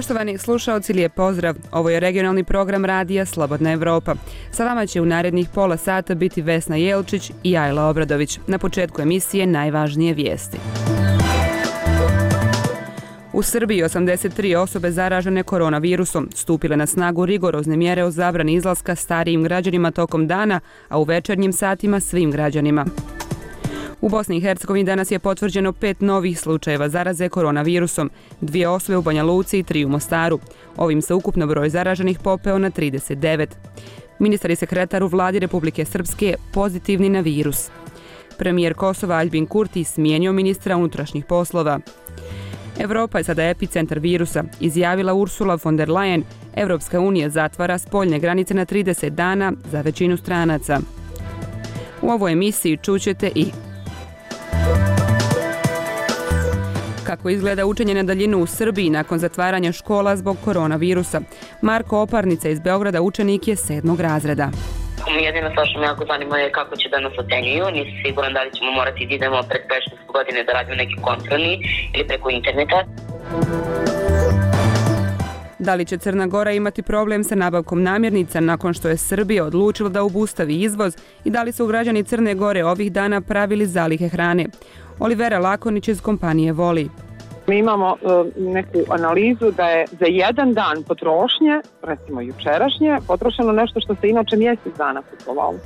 Poštovani slušaoci, lijep pozdrav. Ovo je regionalni program radija Slobodna Evropa. Sa vama će u narednih pola sata biti Vesna Jelčić i Ajla Obradović. Na početku emisije najvažnije vijesti. U Srbiji 83 osobe zaražene koronavirusom, stupile na snagu rigorozne mjere o zabrani izlaska starijim građanima tokom dana, a u večernjim satima svim građanima. U Bosni i Hercegovini danas je potvrđeno 5 novih slučajeva zaraze koronavirusom, 2 osobe u Banja Luci i 3 u Mostaru. Ovim se ukupno broj zaraženih popeo na 39. Ministar i sekretar u vladi Republike Srpske pozitivni na virus. Premijer Kosova Aljbin Kurti smijenio ministra unutrašnjih poslova. Evropa je sada epicentar virusa, izjavila Ursula von der Leyen. Evropska unija zatvara spoljne granice na 30 dana za većinu stranaca. U ovoj emisiji čućete i kako izgleda učenje na daljinu u Srbiji nakon zatvaranja škola zbog koronavirusa. Marko Oparnica iz Beograda učenik je 7. razreda. Jedino što me jako zanima je kako će da nas ocenjuju. Nisam siguran da li ćemo morati da idemo pred predškolske godine da radimo neki kontrolni ili preko interneta. Da li će Crna Gora imati problem sa nabavkom namirnica nakon što je Srbija odlučila da obustavi izvoz i da li su građani Crne Gore ovih dana pravili zalihe hrane? Olivera Lakonić iz kompanije Voli. Mi imamo neku analizu da je za jedan dan potrošnje, recimo jučerašnje, potrošeno nešto što se inače mjesec dana kupovalo.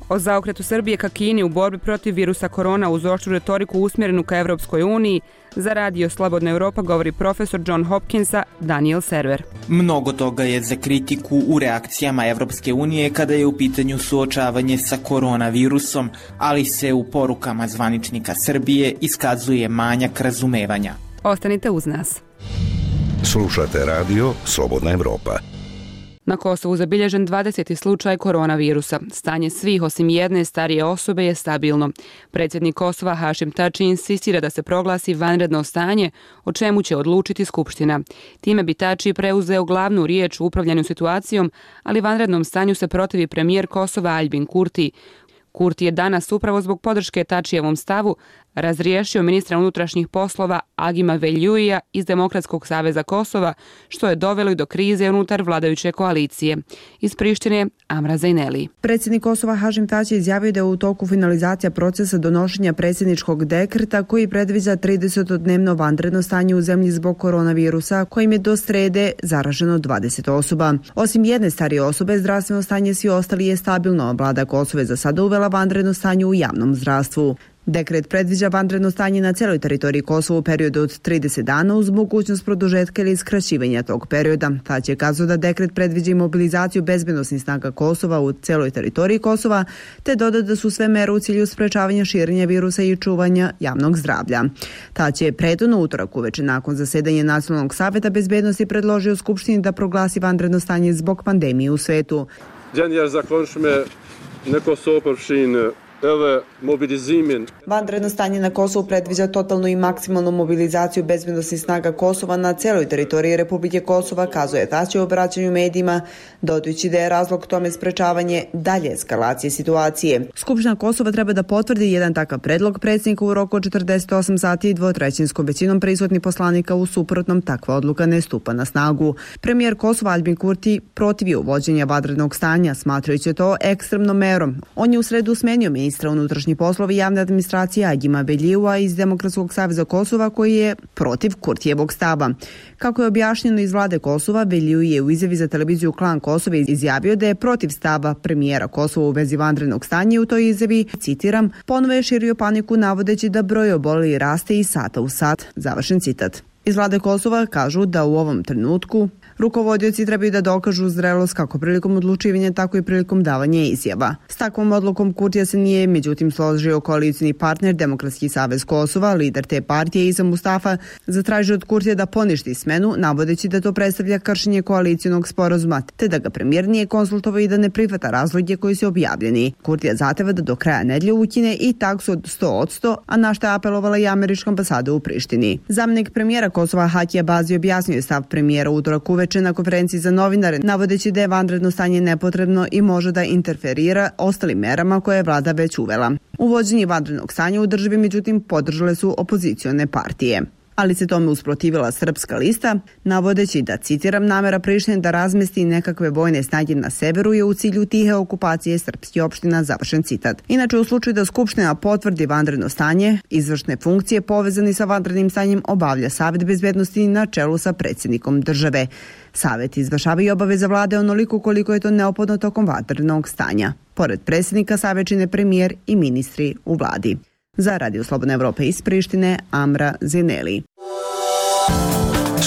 O zaokretu Srbije ka Kini u borbi protiv virusa korona uz oštru retoriku usmjerenu ka Evropskoj uniji, za radio Slobodna Evropa govori profesor John Hopkinsa Daniel Server. Mnogo toga je za kritiku u reakcijama Evropske unije kada je u pitanju suočavanje sa koronavirusom, ali se u porukama zvaničnika Srbije iskazuje manjak razumevanja. Ostanite uz nas. Slušate radio Slobodna Evropa. Na Kosovu zabilježen 20. slučaj koronavirusa. Stanje svih osim jedne starije osobe je stabilno. Predsjednik Kosova Hašim Tači insistira da se proglasi vanredno stanje, o čemu će odlučiti Skupština. Time bi Tači preuzeo glavnu riječ u upravljanju situacijom, ali vanrednom stanju se protivi premijer Kosova Aljbin Kurti. Kurti je danas upravo zbog podrške Tačijevom stavu razriješio ministra unutrašnjih poslova Agima Veljuija iz Demokratskog saveza Kosova, što je dovelo i do krize unutar vladajuće koalicije. Iz Prištine Amra Zajneli. Predsjednik Kosova Hašim Tači izjavio da je u toku finalizacija procesa donošenja predsjedničkog dekreta koji predviđa 30-dnevno vanredno stanje u zemlji zbog koronavirusa, kojim je do srede zaraženo 20 osoba. Osim jedne starije osobe, zdravstveno stanje svi ostali je stabilno. Vlada Kosova je za sada uvela vanredno stanje u javnom zdravstvu. Dekret predviđa vanredno stanje na cijeloj teritoriji Kosova u periodu od 30 dana uz mogućnost produžetka ili skraćivanja tog perioda. Tač je kazao da dekret predviđa i mobilizaciju bezbednosnih snaga Kosova u cijeloj teritoriji Kosova, te doda da su sve mere u cilju sprečavanja širenja virusa i čuvanja javnog zdravlja. Tač je prethodno utorak uveče nakon zasedanja Nacionalnog savjeta bezbednosti predložio Skupštini da proglasi vanredno stanje zbog pandemije u svetu. Vanredno stanje na Kosovu predviđa totalnu i maksimalnu mobilizaciju bezbednosnih snaga Kosova na cijeloj teritoriji Republike Kosova, kazuje Tači u obraćanju medijima, dodajući da je razlog tome sprečavanje dalje eskalacije situacije. Skupština Kosova treba da potvrdi jedan takav predlog predsjednika u roku od 48 sati i dvotrećinskom većinom prisutnih poslanika, u suprotnom takva odluka ne stupa na snagu. Premijer Kosova Aljbin Kurti protivio uvođenja vanrednog stanja, smatrajući to ekstremnom merom. On je u sredu smenio ministra unutrašnjih poslova i javne administracije Agima Beljua iz Demokratskog saveza Kosova, koji je protiv Kurtijevog stava. Kako je objašnjeno iz vlade Kosova, Belju je u izjavi za televiziju Klan Kosova izjavio da je protiv stava premijera Kosova u vezi vanrednog stanja. U toj izjavi, citiram, ponovo je širio paniku navodeći da broj obolelih raste iz sata u sat. Završen citat. Iz vlade Kosova kažu da u ovom trenutku rukovodioci trebaju da dokažu zrelost kako prilikom odlučivanja, tako i prilikom davanja izjava. S takvom odlukom Kurtija se nije međutim složio koalicijni partner Demokratski savez Kosova. Lider te partije Isa Mustafa zatražio od Kurtija da poništi smenu, navodeći da to predstavlja kršenje koalicijonog sporazuma, te da ga premijer nije konsultovao i da ne prihvata razloge koji su objavljeni. Kurtija zahteva da do kraja nedelje ukine i taksu od 100%, a na što je apelovala i američka ambasada u Prištini. Zamjenik premijera Kosova Hakija Bazi objasnio je stav premijera utorak uveče na konferenciji za novinare, navodeći da je vanredno stanje nepotrebno i može da interferira ostalim merama koje je vlada već uvela. Uvođenje vanrednog stanja u državi međutim podržale su opozicione partije. ali se tome usprotivila Srpska lista, navodeći da, citiram, namera Prištine da razmesti nekakve vojne snage na severu je u cilju tihe okupacije srpskih opština, završen citat. Inače, u slučaju da Skupština potvrdi vanredno stanje, izvršne funkcije povezani sa vanrednim stanjem obavlja Savet bezbednosti na čelu sa predsjednikom države. Savet izvršava i obaveza vlade onoliko koliko je to neophodno tokom vanrednog stanja. Pored predsjednika Savet čine premijer i ministri u vladi. Za Radio Slobodna Evropa iz Prištine, Amra Zineli.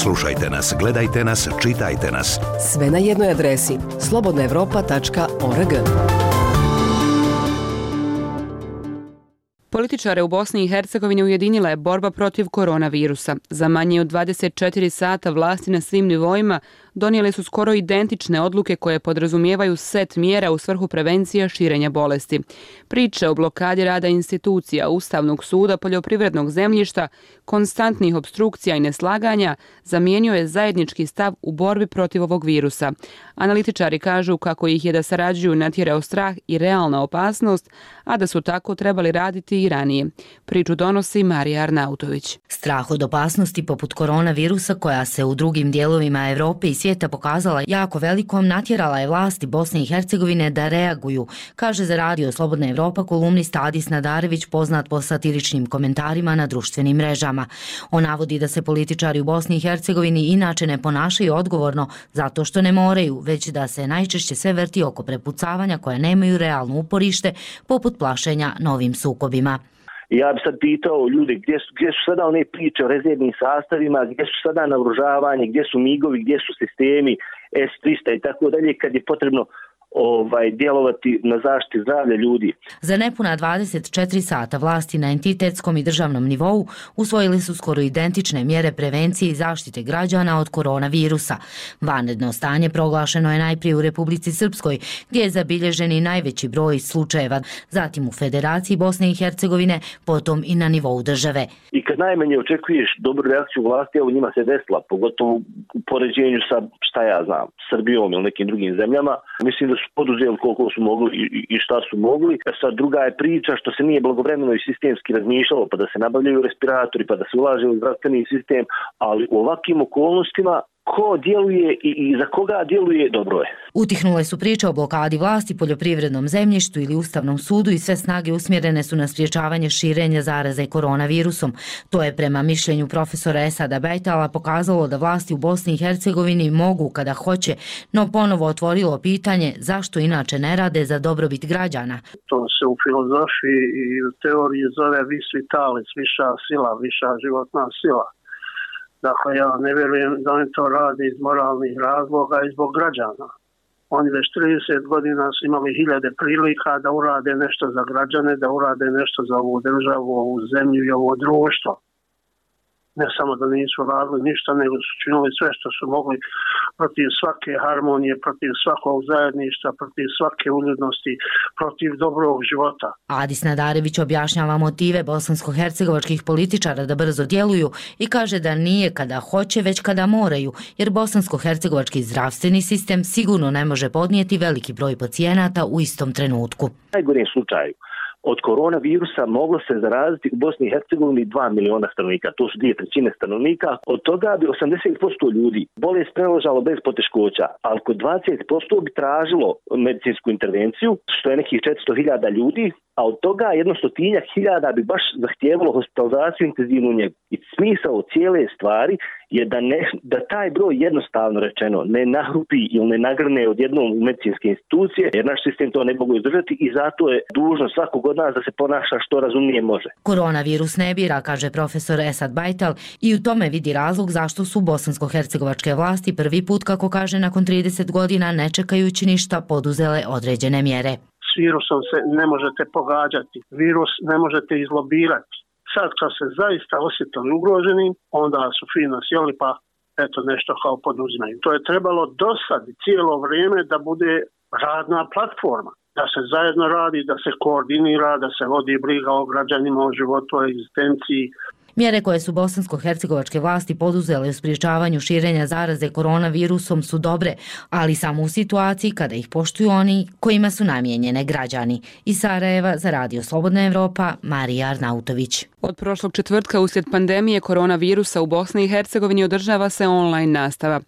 Slušajte nas, gledajte nas, čitajte nas. Sve na jednoj adresi slobodnaevropa.org. Političare u Bosni i Hercegovini ujedinila je borba protiv koronavirusa. Za manje od 24 sata vlasti na svim nivoima donijele su skoro identične odluke koje podrazumijevaju set mjera u svrhu prevencija širenja bolesti. Priče o blokadi rada institucija, Ustavnog suda, poljoprivrednog zemljišta, konstantnih opstrukcija i neslaganja zamijenio je zajednički stav u borbi protiv ovog virusa. Analitičari kažu kako ih je da sarađuju natjerao strah i realna opasnost, a da su tako trebali raditi i ranije. Priču donosi Marija Arnautović. Strah od opasnosti poput koronavirusa koja se u drugim dijelovima Europe i svijeta pokazala jako velikom natjerala je vlasti Bosne i Hercegovine da reaguju, kaže za Radio Slobodna Evropa kolumnist Adis Nadarević, poznat po satiričnim komentarima na društvenim mrežama. On navodi da se političari u Bosni i Hercegovini inače ne ponašaju odgovorno zato što ne moraju, već da se najčešće sve vrti oko prepucavanja koja nemaju realno uporište, poput plašenja novim sukobima. Ja bi sad pitao ljude gdje su sada one priče o rezervnim sastavima, gdje su sada naoružavanje, gdje su migovi, gdje su sistemi S-300 i tako dalje, kad je potrebno djelovati na zaštiti zdravlja ljudi. Za nepuna 24 sata vlasti na entitetskom i državnom nivou usvojili su skoro identične mjere prevencije i zaštite građana od koronavirusa. Vanredno stanje proglašeno je najprije u Republici Srpskoj, gdje je zabilježen i najveći broj slučajeva, zatim u Federaciji Bosne i Hercegovine, potom i na nivou države. I kad najmanje očekuješ dobru reakciju vlasti, evo njima se desila, pogotovo u poređenju sa, šta ja znam, Srbijom ili nekim drugim zemljama. Mislim da su poduzeli koliko su mogli i šta su mogli. Sad druga je priča što se nije blagovremeno i sistemski razmišljalo, pa da se nabavljaju respiratori, pa da se ulaže u zdravstveni sistem, ali u ovakvim okolnostima ko djeluje i za koga djeluje, dobro je. Utihnule su priče o blokadi vlasti, poljoprivrednom zemljištu ili Ustavnom sudu i sve snage usmjerene su na sprječavanje širenja zaraze koronavirusom. To je prema mišljenju profesora Esada Bajtala pokazalo da vlasti u Bosni i Hercegovini mogu kada hoće, no ponovo otvorilo pitanje zašto inače ne rade za dobrobit građana. To se u filozofiji i u teoriji zove vis vitalis, viša sila, viša životna sila. Dakle, ja ne vjerujem da oni to rade iz moralnih razloga i zbog građana. Oni već 30 godina su imali hiljade prilika da urade nešto za građane, da urade nešto za ovu državu, ovu zemlju i ovo društvo. Ne samo da nisu radili ništa, nego su činili sve što su mogli protiv svake harmonije, protiv svakog zajedništva, protiv svake uljudnosti, protiv dobrog života. Adis Nadarević objašnjava motive bosansko-hercegovačkih političara da brzo djeluju i kaže da nije kada hoće, već kada moraju, jer bosansko-hercegovački zdravstveni sistem sigurno ne može podnijeti veliki broj pacijenata u istom trenutku. U najgorem slučaju od koronavirusa moglo se zaraziti u Bosni i Hercegovini 2 miliona stanovnika, to su 2/3 stanovnika. Od toga bi 80% ljudi bolest preležalo bez poteškoća, ali kod 20% bi tražilo medicinsku intervenciju, što je nekih 400.000 ljudi, a od toga 100.000 bi baš zahtijevalo hospitalizaciju i intenzivnu njegu. I smisao cijele stvari je da taj broj jednostavno rečeno ne nahrupi ili ne nagrne odjednom u medicinske institucije, jer naš sistem to ne mogu izdržati i zato je dužno svakog od nas da se ponaša što razumnije može. Koronavirus ne bira, kaže profesor Esad Bajtal, i u tome vidi razlog zašto su bosansko-hercegovačke vlasti prvi put, kako kaže, nakon 30 godina, ne čekajući ništa, poduzele određene mjere. S virusom se ne možete pogađati, virus ne možete izlobirati. Sad kad se zaista osjetili ugroženi, onda su fino sjeli pa eto nešto kao poduzimaju. To je trebalo dosadi cijelo vrijeme da bude radna platforma, da se zajedno radi, da se koordinira, da se vodi briga o građanima, o životu, o egzistenciji. Mjere koje su bosansko-hercegovačke vlasti poduzele u sprječavanju širenja zaraze koronavirusom su dobre, ali samo u situaciji kada ih poštuju oni kojima su namijenjene građani. Iz Sarajeva za Radio Slobodna Evropa, Marija Arnautović. Od prošlog četvrtka uslijed pandemije koronavirusa u Bosni i Hercegovini održava se online nastava.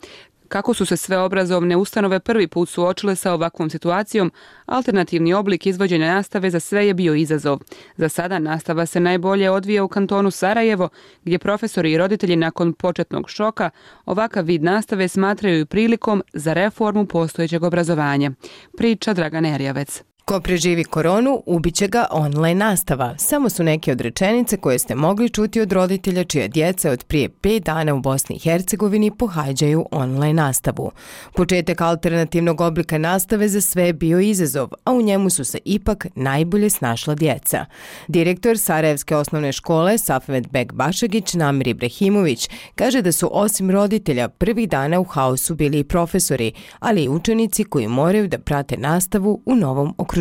Kako su se sve obrazovne ustanove prvi put suočile sa ovakvom situacijom, alternativni oblik izvođenja nastave za sve je bio izazov. Za sada nastava se najbolje odvija u kantonu Sarajevo, gdje profesori i roditelji nakon početnog šoka ovakav vid nastave smatraju prilikom za reformu postojećeg obrazovanja. Priča Dragana Erjavec. Ko preživi koronu, ubiće ga online nastava. Samo su neke od rečenice koje ste mogli čuti od roditelja čija djeca od prije 5 dana u Bosni i Hercegovini pohađaju online nastavu. Početak alternativnog oblika nastave za sve je bio izazov, a u njemu su se ipak najbolje snašla djeca. Direktor Sarajevske osnovne škole Safet Bek Bašagić Namir Ibrahimović kaže da su osim roditelja prvih dana u haosu bili i profesori, ali i učenici koji moraju da prate nastavu u novom okruženju.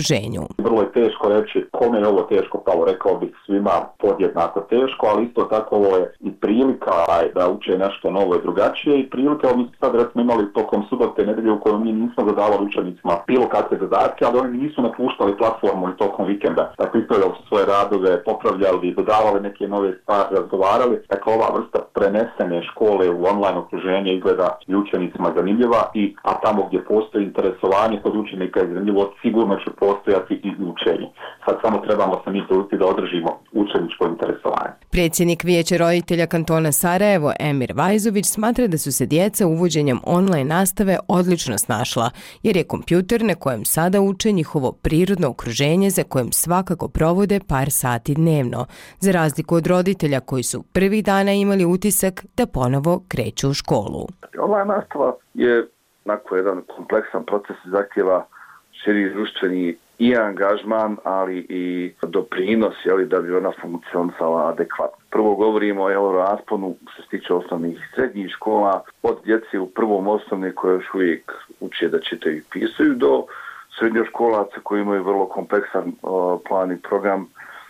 Vrlo je teško reći kome je ovo teško palo, rekao bih svima podjednako teško, ali isto tako ovo je i prilika da uče nešto novo i drugačije i prilika, mi sad recimo imali tokom subote nedelje u kojoj mi nismo zadavali učenicima bilo kakve zadatke, ali oni nisu napuštali platformu i tokom vikenda. Dakle, ispravljali su svoje radove, popravljali, dodavali neke nove stvari, razgovarali. Dakle, ova vrsta prenesene škole u online okruženje izgleda i učenicima zanimljiva, a tamo gdje postoji interesovanje kod učenika je zanimljivo, sigurno će postojati i učenje. Sad samo trebamo se mi truditi da održimo učeničko interesovanje. Predsjednik Vijeća roditelja kantona Sarajevo, Emir Vajzović, smatra da su se djeca uvođenjem online nastave odlično snašla, jer je kompjuter na kojem sada uče njihovo prirodno okruženje za kojem svakako provode par sati dnevno, za razliku od roditelja koji su prvih dana imali utisak da ponovo kreću u školu. Online nastava je jedan kompleksan proces i zahtjeva širi društveni i angažman, ali i doprinos da bi ona funkcionisala adekvatno. Prvo govorimo o rasponu što se tiče osnovnih i srednjih škola, od djece u prvom osnovne koje još uvijek uče da čitaju i pisaju, do srednjoškolaca koji imaju vrlo kompleksan plan i program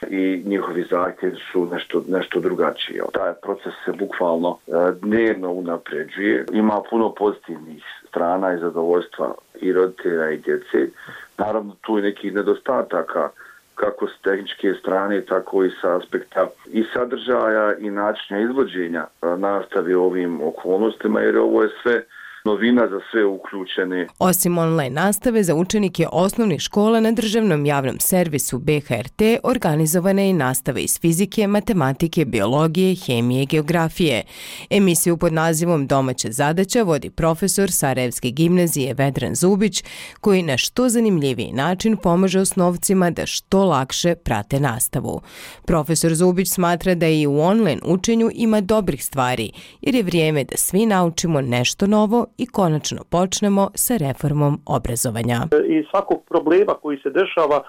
i njihovi zahtjevi su nešto drugačiji. Taj proces se bukvalno dnevno unapređuje. Ima puno pozitivnih strana i zadovoljstva i roditelja i djece. Naravno, tu je nekih nedostataka kako s tehničke strane, tako i sa aspekta i sadržaja i načina izvođenja nastave u ovim okolnostima, jer ovo je sve novina za sve uključene. Osim online nastave za učenike osnovnih škola na državnom javnom servisu BHRT organizovana je i nastava iz fizike, matematike, biologije, hemije i geografije. Emisiju pod nazivom Domaća zadaća vodi profesor Sarajevske gimnazije Vedran Zubić, koji na što zanimljiviji način pomaže osnovcima da što lakše prate nastavu. Profesor Zubić smatra da i u online učenju ima dobrih stvari, jer je vrijeme da svi naučimo nešto novo i konačno počnemo sa reformom obrazovanja. I svakog problema koji se dešava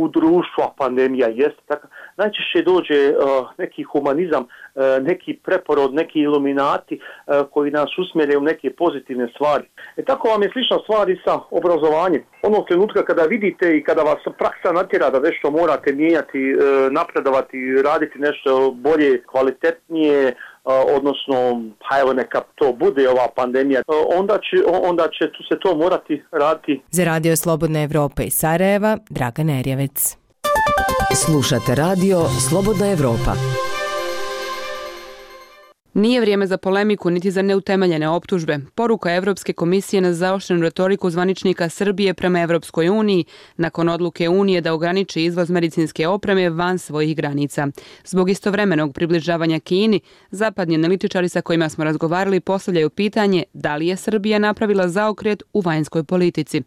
u društvu, a pandemija jeste tako, najčešće dođe neki humanizam, neki preporod, neki iluminati koji nas usmjere u neke pozitivne stvari. Tako vam je slična stvar i sa obrazovanjem. Onog trenutka kada vidite i kada vas praksa natjera da nešto morate mijenjati, napredovati, raditi nešto bolje, kvalitetnije, odnosno, neka to bude ova pandemija, onda će se to morati raditi. Za Radio Slobodna Evropa iz Sarajeva, Dragana Erjavec. Slušate Radio Slobodna Evropa. Nije vrijeme za polemiku niti za neutemeljene optužbe. Poruka Evropske komisije na zaoštrenu retoriku zvaničnika Srbije prema Evropskoj uniji nakon odluke Unije da ograniči izvoz medicinske opreme van svojih granica. Zbog istovremenog približavanja Kini, zapadni analitičari sa kojima smo razgovarali postavljaju pitanje da li je Srbija napravila zaokret u vanjskoj politici.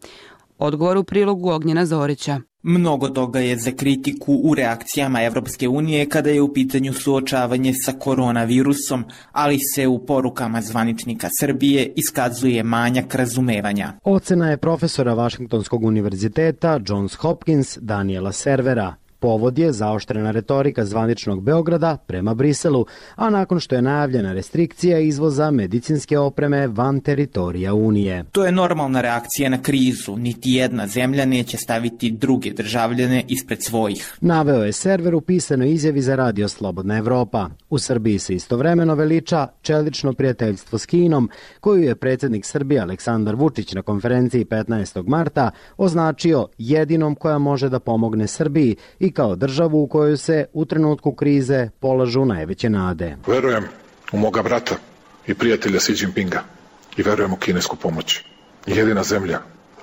Odgovor u prilogu Ognjena Zorića. Mnogo toga je za kritiku u reakcijama Evropske unije kada je u pitanju suočavanje sa koronavirusom, ali se u porukama zvaničnika Srbije iskazuje manjak razumevanja. Ocena je profesora Vašingtonskog univerziteta Johns Hopkins Daniela Servera. Povod je zaoštrena retorika zvaničnog Beograda prema Briselu, a nakon što je najavljena restrikcija izvoza medicinske opreme van teritorija Unije. To je normalna reakcija na krizu. Niti jedna zemlja neće staviti druge državljane ispred svojih. Naveo je server u pisanoj izjavi za Radio Slobodna Evropa. U Srbiji se istovremeno veliča čelično prijateljstvo s Kinom, koju je predsjednik Srbije Aleksandar Vučić na konferenciji 15. marta označio jedinom koja može da pomogne Srbiji i kao državu u kojoj se u trenutku krize polažu najveće nade. Verujem u moga brata i prijatelja Xi Jinpinga i verujem u kinesku pomoć. Jedina zemlja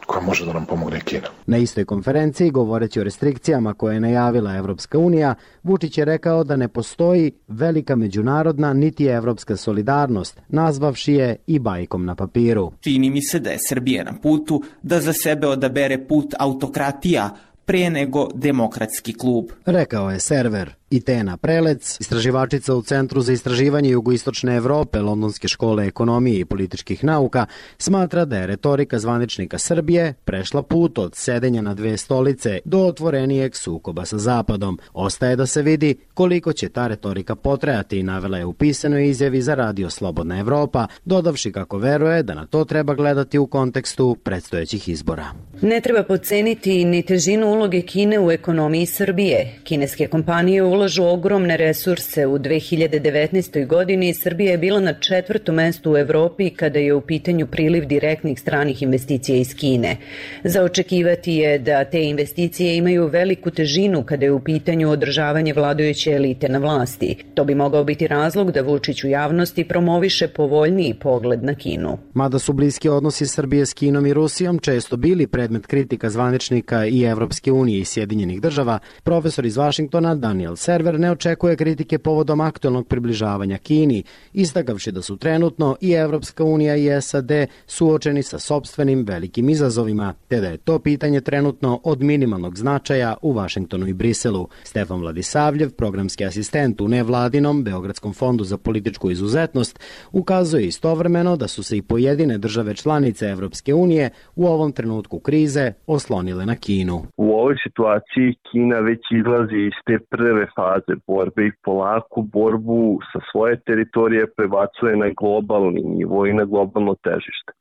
koja može da nam pomogne Kina. Na istoj konferenciji, govoreći o restrikcijama koje je najavila Evropska unija, Vučić je rekao da ne postoji velika međunarodna niti evropska solidarnost, nazvavši je i bajkom na papiru. Čini mi se da je Srbija na putu da za sebe odabere put autokratija pre nego demokratski klub, rekao je server. I Tena Prelec, istraživačica u Centru za istraživanje jugoistočne Evrope Londonske škole ekonomije i političkih nauka, smatra da je retorika zvaničnika Srbije prešla put od sedenja na dve stolice do otvorenijeg sukoba sa Zapadom. Ostaje da se vidi koliko će ta retorika potrajati i navela je u pisanoj izjavi za Radio Slobodna Evropa, dodavši kako veruje da na to treba gledati u kontekstu predstojećih izbora. Ne treba podceniti ni težinu uloge Kine u ekonomiji Srbije. Kineske kompanije ulažu ogromne resurse. U 2019. godini Srbija je bila na 4. mestu u Evropi kada je u pitanju priliv direktnih stranih investicija iz Kine. Za očekivati je da te investicije imaju veliku težinu kada je u pitanju održavanje vladajuće elite na vlasti. To bi mogao biti razlog da Vučić u javnosti promoviše povoljniji pogled na Kinu. Mada su bliski odnosi Srbije s Kinom i Rusijom često bili predmet kritika zvaničnika i Evropske unije i Sjedinjenih država, profesor iz Vašingtona Daniel Server ne očekuje kritike povodom aktualnog približavanja Kini, istakavši da su trenutno i Evropska unija i SAD suočeni sa sopstvenim velikim izazovima, te da je to pitanje trenutno od minimalnog značaja u Vašingtonu i Briselu. Stefan Vladisavljev, programski asistent u nevladinom Beogradskom fondu za političku izuzetnost, ukazuje istovremeno da su se i pojedine države članice Evropske unije u ovom trenutku krize oslonile na Kinu. U ovoj situaciji Kina već izlazi iz te prve faze borbe i polako borbu sa svoje teritorije prebacuje na globalni nivo i na globalno težište.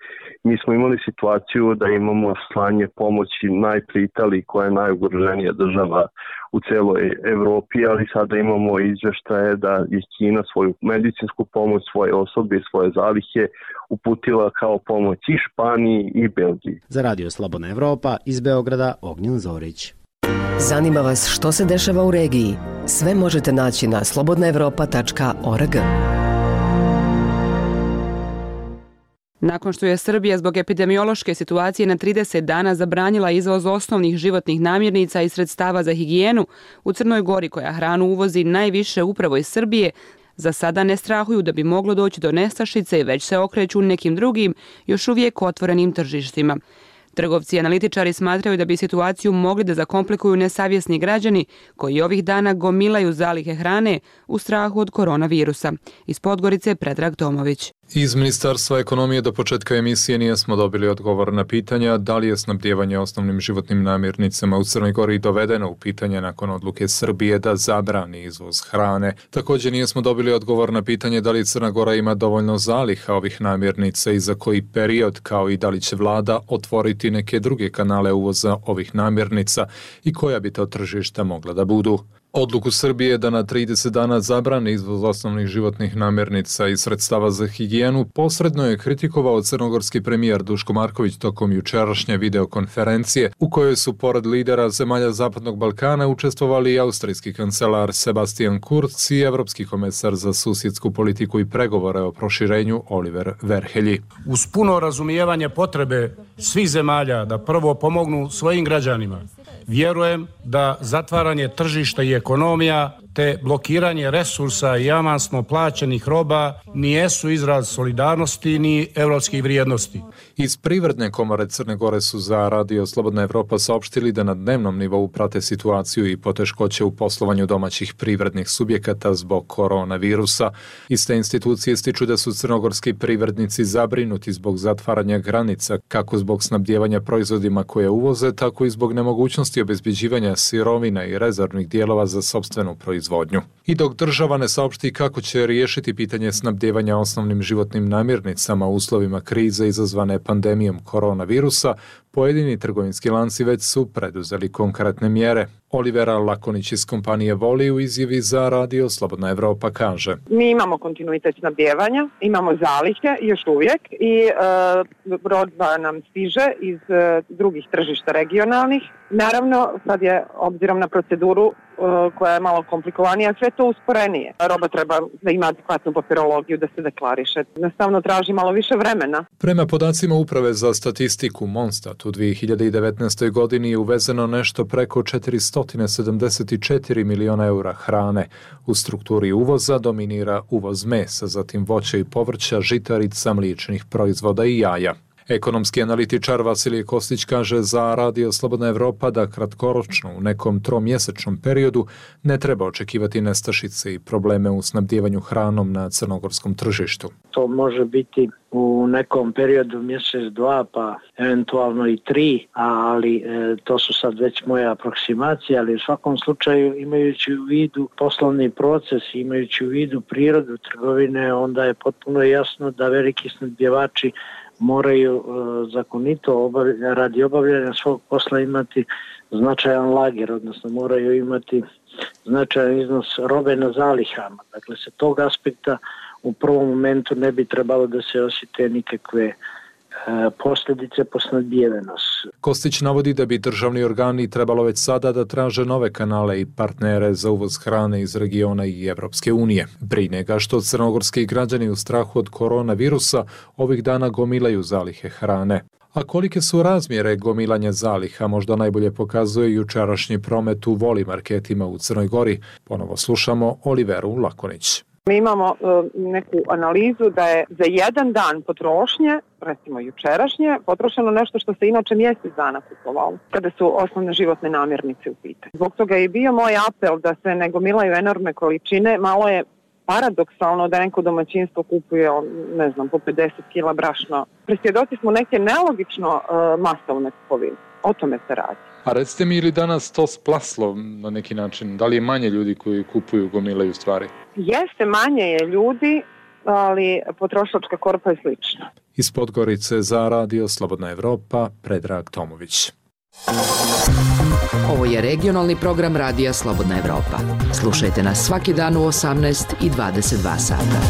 Mi smo imali situaciju da imamo slanje pomoći najprije Italiji koja je najugroženija država u celoj Evropi, ali sada imamo izveštaje da je Kina svoju medicinsku pomoć, svoje osobe i svoje zalihe uputila kao pomoć i Španiji i Belgiji. Za Radio Slobodna Evropa iz Beograda Ognjen Zorić. Zanima vas što se dešava u regiji? Sve možete naći na slobodnaevropa.org. Nakon što je Srbija zbog epidemiološke situacije na 30 dana zabranila izvoz osnovnih životnih namirnica i sredstava za higijenu, u Crnoj Gori, koja hranu uvozi najviše upravo iz Srbije, za sada ne strahuju da bi moglo doći do nestašice i već se okreću nekim drugim, još uvijek otvorenim tržištima. Trgovci i analitičari smatraju da bi situaciju mogli da zakomplikuju nesavjesni građani koji ovih dana gomilaju zalihe hrane u strahu od koronavirusa. Iz Podgorice Predrag Tomović. Iz Ministarstva ekonomije do početka emisije nismo dobili odgovor na pitanja da li je snabdijevanje osnovnim životnim namirnicama u Crnoj Gori dovedeno u pitanje nakon odluke Srbije da zabrani izvoz hrane. Također nismo dobili odgovor na pitanje da li Crna Gora ima dovoljno zaliha ovih namirnica i za koji period, kao i da li će vlada otvoriti neke druge kanale uvoza ovih namirnica i koja bi to tržišta mogla da budu. Odluku Srbije da na 30 dana zabrani izvoz osnovnih životnih namirnica i sredstava za higijenu posredno je kritikovao crnogorski premijer Duško Marković tokom jučerašnje videokonferencije u kojoj su pored lidera zemalja Zapadnog Balkana učestvovali i austrijski kancelar Sebastian Kurz i evropski komesar za susjedsku politiku i pregovore o proširenju Oliver Verhelji. Uz puno razumijevanje potrebe svih zemalja da prvo pomognu svojim građanima, vjerujem da zatvaranje tržišta i ekonomija te blokiranje resursa i avansno plaćenih roba nijesu izraz solidarnosti ni evropskih vrijednosti. Iz Privredne komore Crne Gore su za Radio Slobodna Evropa saopštili da na dnevnom nivou prate situaciju i poteškoće u poslovanju domaćih privrednih subjekata zbog koronavirusa. Iste institucije ističu da su crnogorski privrednici zabrinuti zbog zatvaranja granica, kako zbog snabdijevanja proizvodima koje uvoze, tako i zbog nemogućnosti obezbeđivanja sirovina i rezervnih dijelova za sopstvenu proizvodnju. I dok država ne saopšti kako će riješiti pitanje snabdijevanja osnovnim životnim namirnicama u uslovima krize izazvane pandemijom koronavirusa, pojedini trgovinski lanci već su preduzeli konkretne mjere. Olivera Lakonić iz kompanije Voli u izjavi za Radio Slobodna Evropa kaže: Mi imamo kontinuitet snabdijevanja, imamo zalihe još uvijek i roba nam stiže iz drugih tržišta regionalnih. Naravno, sad je, obzirom na proceduru koja je malo komplikovanija, sve to usporenije. Roba treba da ima adekvatnu papirologiju, da se deklariše. Nastavno traži malo više vremena. Prema podacima Uprave za statistiku Monstat, u 2019. godini je uvezeno nešto preko 474 miliona eura hrane. U strukturi uvoza dominira uvoz mesa, zatim voća i povrća, žitarica, mliječnih proizvoda i jaja. Ekonomski analitičar Vasilije Kostić kaže za Radio Slobodna Evropa da kratkoročno u nekom tromjesečnom periodu ne treba očekivati nestašice i probleme u snabdijevanju hranom na crnogorskom tržištu. To može biti u nekom periodu mjesec, dva, pa eventualno i 3, ali to su sad već moje aproksimacije, ali u svakom slučaju imajući u vidu poslovni proces, imajući u vidu prirodu trgovine, onda je potpuno jasno da veliki snabdjevači moraju zakonito radi obavljanja svog posla imati značajan lager, odnosno moraju imati značajan iznos robe na zalihama. Dakle, sa tog aspekta u prvom momentu ne bi trebalo da se osjete nikakve posljedice po snabdijevenost. Kostić navodi da bi državni organi trebalo već sada da traže nove kanale i partnere za uvoz hrane iz regiona i Evropske unije. Brine ga što crnogorski građani u strahu od koronavirusa ovih dana gomilaju zalihe hrane. A kolike su razmjere gomilanja zaliha možda najbolje pokazuje jučerašnji promet u Voli marketima u Crnoj Gori. Ponovo slušamo Oliveru Lakonić. Mi imamo neku analizu da je za jedan dan potrošnje, recimo jučerašnje, potrošeno nešto što se inače mjesec dana kupovalo, kada su osnovne životne namirnice u pitanju. Zbog toga je bio moj apel da se ne gomilaju enormne količine. Malo je paradoksalno da neko domaćinstvo kupuje, ne znam, po 50 kila brašna. Presvjedoci smo neke nelogično masovne kupovine. O tome se radi. A recite mi, ili danas to splaslo na neki način? Da li je manje ljudi koji kupuju, gomilaju stvari? Jeste, manje je ljudi, ali potrošačka korpa je slična. Iz Podgorice za Radio Slobodna Evropa, Predrag Tomović. Ovo je regionalni program Radija Slobodna Evropa. Slušajte nas svaki dan u 18 i 22 sata.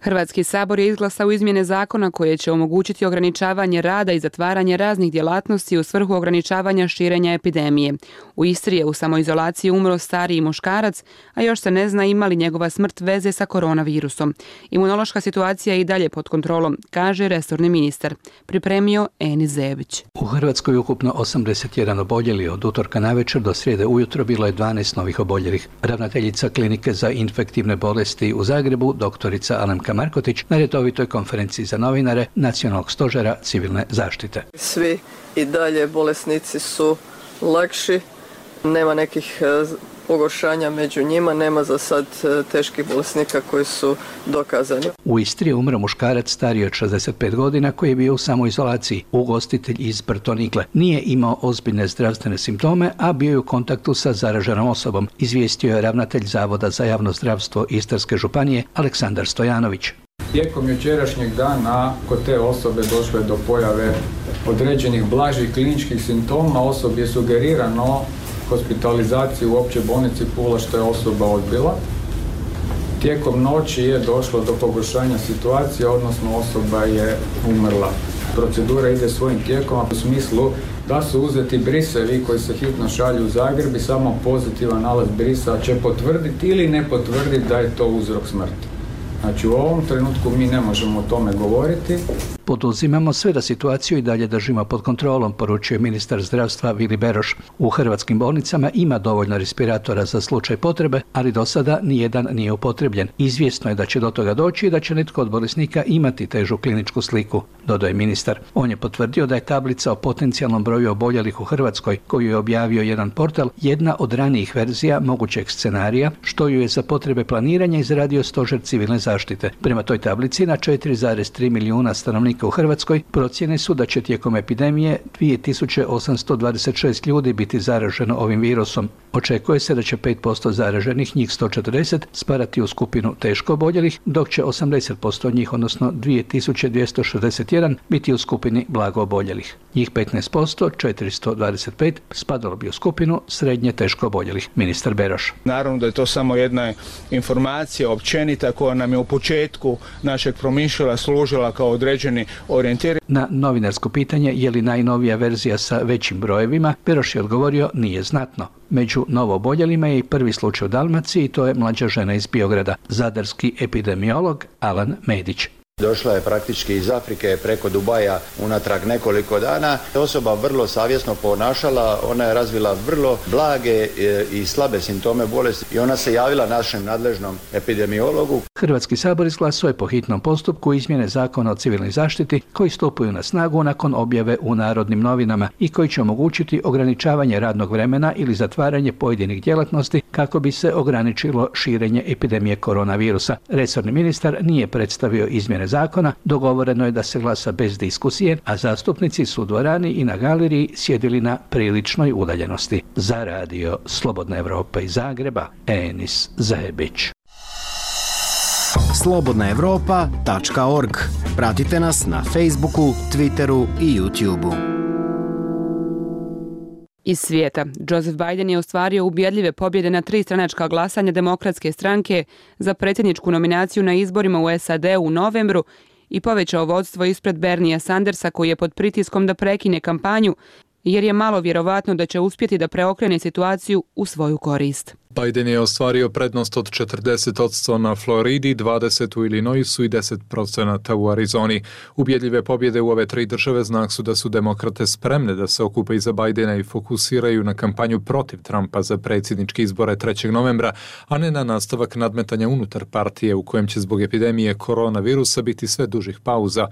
Hrvatski sabor je izglasao izmjene zakona koje će omogućiti ograničavanje rada i zatvaranje raznih djelatnosti u svrhu ograničavanja širenja epidemije. U Istri je u samoizolaciji umro stariji muškarac, a još se ne zna ima li njegova smrt veze sa koronavirusom. Imunološka situacija je i dalje pod kontrolom, kaže resorni ministar. Pripremio Enis Zebić. U Hrvatskoj ukupno 81 oboljeli, od utorka navečer do srijede ujutro bilo je 12 novih oboljelih. Ravnateljica klinike za infektivne bolesti u Zagrebu, doktorica Alemka Markotić, na redovitoj konferenciji za novinare Nacionalnog stožera civilne zaštite. Svi i dalje bolesnici su lakši, nema nekih pogoršanja među njima, nema za sad teških bolesnika koji su dokazani. U Istri je umro muškarac stariji od 65 godina koji je bio u samoizolaciji, ugostitelj iz Brtonikle. Nije imao ozbiljne zdravstvene simptome, a bio je u kontaktu sa zaraženom osobom, izvijestio je ravnatelj Zavoda za javno zdravstvo Istarske županije Aleksandar Stojanović. Tijekom jučerašnjeg dana kod te osobe došlo je do pojave određenih blažih kliničkih simptoma. Osobi je sugerirano hospitalizaciju u općoj bolnici Pula, što je osoba odbila. Tijekom noći je došlo do pogoršanja situacije, odnosno osoba je umrla. Procedura ide svojim tijekom, u smislu da su uzeti brisevi koji se hitno šalju u Zagreb i samo pozitivan nalaz brisa će potvrditi ili ne potvrditi da je to uzrok smrti. Znači u ovom trenutku mi ne možemo o tome govoriti. Poduzimamo sve da situaciju i dalje držimo pod kontrolom, poručio ministar zdravstva Vili Beroš. U hrvatskim bolnicama ima dovoljno respiratora za slučaj potrebe, ali do sada nijedan nije upotrebljen. Izvjesno je da će do toga doći i da će netko od bolesnika imati težu kliničku sliku, dodaje ministar. On je potvrdio da je tablica o potencijalnom broju oboljelih u Hrvatskoj, koju je objavio jedan portal, jedna od ranijih verzija mogućeg scenarija, što ju je za potrebe planiranja izradio Stožer civilne zaštite. Prema toj tablici na 4,3 milijuna stanovnika u Hrvatskoj procjene su da će tijekom epidemije 2826 ljudi biti zaraženo ovim virusom. Očekuje se da će 5% zaraženih, njih 140, spadati u skupinu teško oboljelih, dok će 80% od njih, odnosno 2261, biti u skupini blago oboljelih. Njih 15%, 425, spadalo bi u skupinu srednje teško oboljelih. Ministar Beroš. Naravno da je to samo jedna informacija općenita koja nam je u početku našeg promišljala služila kao određeni orijentir. Na novinarsko pitanje je li najnovija verzija sa većim brojevima, Beroš je odgovorio nije znatno. Među novooboljelima je i prvi slučaj u Dalmaciji, to je mlađa žena iz Biograda, zadarski epidemiolog Alan Medić. Došla je praktički iz Afrike preko Dubaja unatrag nekoliko dana. Osoba vrlo savjesno ponašala, ona je razvila vrlo blage i slabe simptome bolesti i ona se javila našem nadležnom epidemiologu. Hrvatski sabor izglasao je po hitnom postupku izmjene Zakona o civilnoj zaštiti koji stupaju na snagu nakon objave u Narodnim novinama i koji će omogućiti ograničavanje radnog vremena ili zatvaranje pojedinih djelatnosti kako bi se ograničilo širenje epidemije koronavirusa. Resorni ministar nije predstavio izmjene zakona, dogovoreno je da se glasa bez diskusije, a zastupnici su u dvorani i na galeriji sjedili na priličnoj udaljenosti. Za radio Slobodna Evropa iz Zagreba, Enis Zajebić. slobodnaevropa.org. Pratite nas na Facebooku, Twitteru i YouTubeu. Iz svijeta, Joseph Biden je ostvario ubjedljive pobjede na 3 stranačka glasanja Demokratske stranke za predsjedničku nominaciju na izborima u SAD u novembru i povećao vodstvo ispred Berniea Sandersa koji je pod pritiskom da prekine kampanju jer je malo vjerovatno da će uspjeti da preokrene situaciju u svoju korist. Biden je ostvario prednost od 40% na Floridi, 20% u Illinoisu i 10% u Arizoni. Ubjedljive pobjede u ove 3 države znak su da su demokrate spremne da se okupe iza Bidena i fokusiraju na kampanju protiv Trumpa za predsjedničke izbore 3. novembra, a ne na nastavak nadmetanja unutar partije u kojem će zbog epidemije koronavirusa biti sve dužih pauza.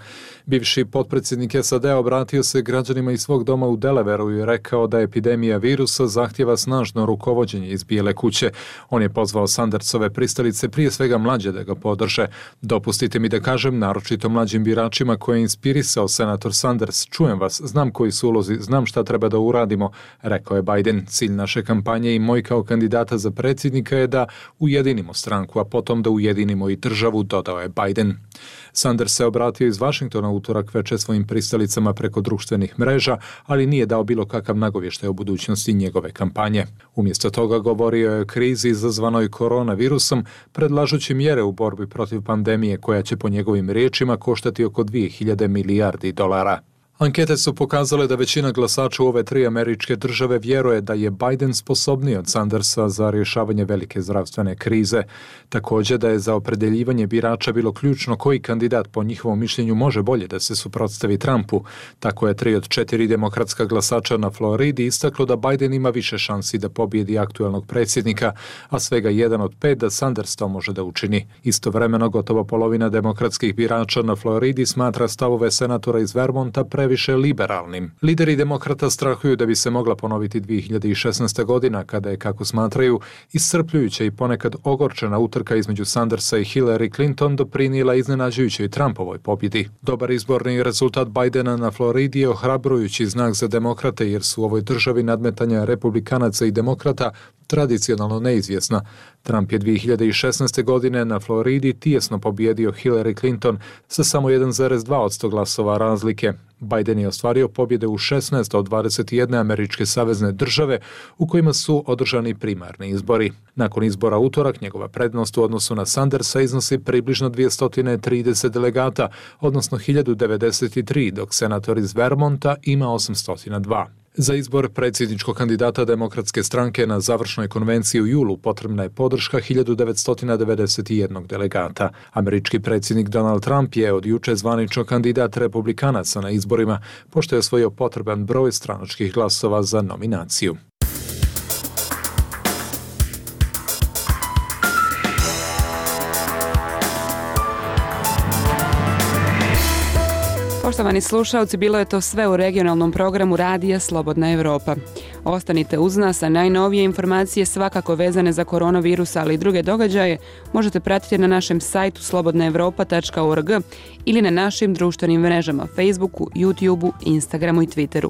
Bivši potpredsjednik SAD obratio se građanima iz svog doma u Delawareu i rekao da epidemija virusa zahtjeva snažno rukovođenje iz Bijele kuće. On je pozvao Sandersove pristalice, prije svega mlađe, da ga podrže. Dopustite mi da kažem, naročito mlađim biračima koje je inspirisao senator Sanders, čujem vas, znam koji su ulozi, znam šta treba da uradimo, rekao je Biden. Cilj naše kampanje i moj kao kandidata za predsjednika je da ujedinimo stranku, a potom da ujedinimo i državu, dodao je Biden. Sanders se obratio iz Vašingtona utorak veče svojim pristalicama preko društvenih mreža, ali nije dao bilo kakav nagovještaj o budućnosti njegove kampanje. Umjesto toga govorio je o krizi izazvanoj koronavirusom, predlažući mjere u borbi protiv pandemije koja će po njegovim riječima koštati oko 2000 milijardi dolara. Ankete su pokazale da većina glasača u ove 3 američke države vjeruje da je Biden sposobniji od Sandersa za rješavanje velike zdravstvene krize. Također da je za opredeljivanje birača bilo ključno koji kandidat po njihovom mišljenju može bolje da se suprotstavi Trumpu. Tako je 3 od 4 demokratska glasača na Floridi istaklo da Biden ima više šansi da pobjedi aktualnog predsjednika, a svega 1 od 5 da Sanders to može da učini. Istovremeno gotovo polovina demokratskih birača na Floridi smatra stavove senatora iz Vermonta više liberalnim. Lideri demokrata strahuju da bi se mogla ponoviti 2016. godina kada je, kako smatraju, iscrpljujuća i ponekad ogorčena utrka između Sandersa i Hillary Clinton doprinijela iznenađujućoj Trumpovoj pobjedi. Dobar izborni rezultat Bidena na Floridi je ohrabrujući znak za demokrate jer su u ovoj državi nadmetanja republikanaca i demokrata tradicionalno neizvjesna. Trump je 2016. godine na Floridi tijesno pobjedio Hillary Clinton sa samo 1,2% glasova razlike. Biden je ostvario pobjede u 16 od 21 američke savezne države u kojima su održani primarni izbori. Nakon izbora utorak, njegova prednost u odnosu na Sandersa iznosi približno 230 delegata, odnosno 1093, dok senator iz Vermonta ima 802. Za izbor predsjedničkog kandidata Demokratske stranke na završnoj konvenciji u julu potrebna je podrška 1991 delegata. Američki predsjednik Donald Trump je od juče zvanično kandidat republikanaca na izborima, pošto je osvojio potreban broj stranačkih glasova za nominaciju. Poštovani slušalci, bilo je to sve u regionalnom programu Radija Slobodna Evropa. Ostanite uz nas, a najnovije informacije svakako vezane za koronavirus, ali i druge događaje možete pratiti na našem sajtu slobodnaevropa.org ili na našim društvenim mrežama Facebooku, YouTubeu, Instagramu i Twitteru.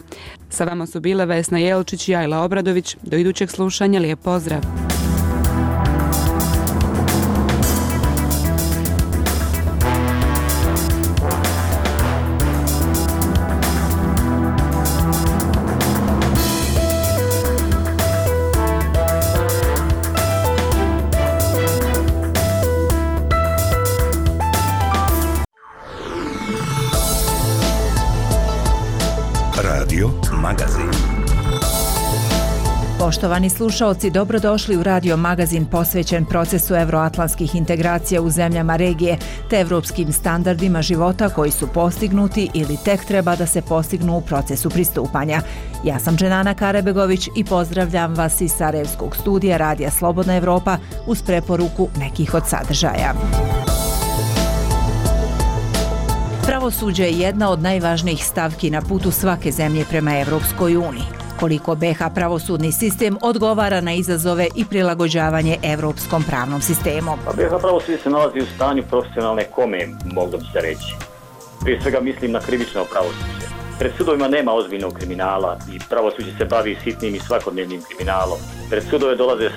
Sa vama su bile Vesna Jelčić i Ajla Obradović. Do idućeg slušanja, lijep pozdrav! Poštovani slušaoci, dobrodošli u radio magazin posvećen procesu evroatlantskih integracija u zemljama regije te evropskim standardima života koji su postignuti ili tek treba da se postignu u procesu pristupanja. Ja sam Dženana Karebegović i pozdravljam vas iz Sarajevskog studija Radija Slobodna Evropa uz preporuku nekih od sadržaja. Pravosuđe je jedna od najvažnijih stavki na putu svake zemlje prema Evropskoj uniji. Koliko BiH pravosudni sistem odgovara na izazove i prilagođavanje evropskom pravnom sistemu. BiH pravosuđe se nalazi u stanju profesionalne kome, moglo bi se reći. Prije svega mislim na krivično pravosuđe. Pred sudovima nema ozbiljnog kriminala i pravosuđe se bavi sitnim i svakodnevnim kriminalom. Pred sudove dolaze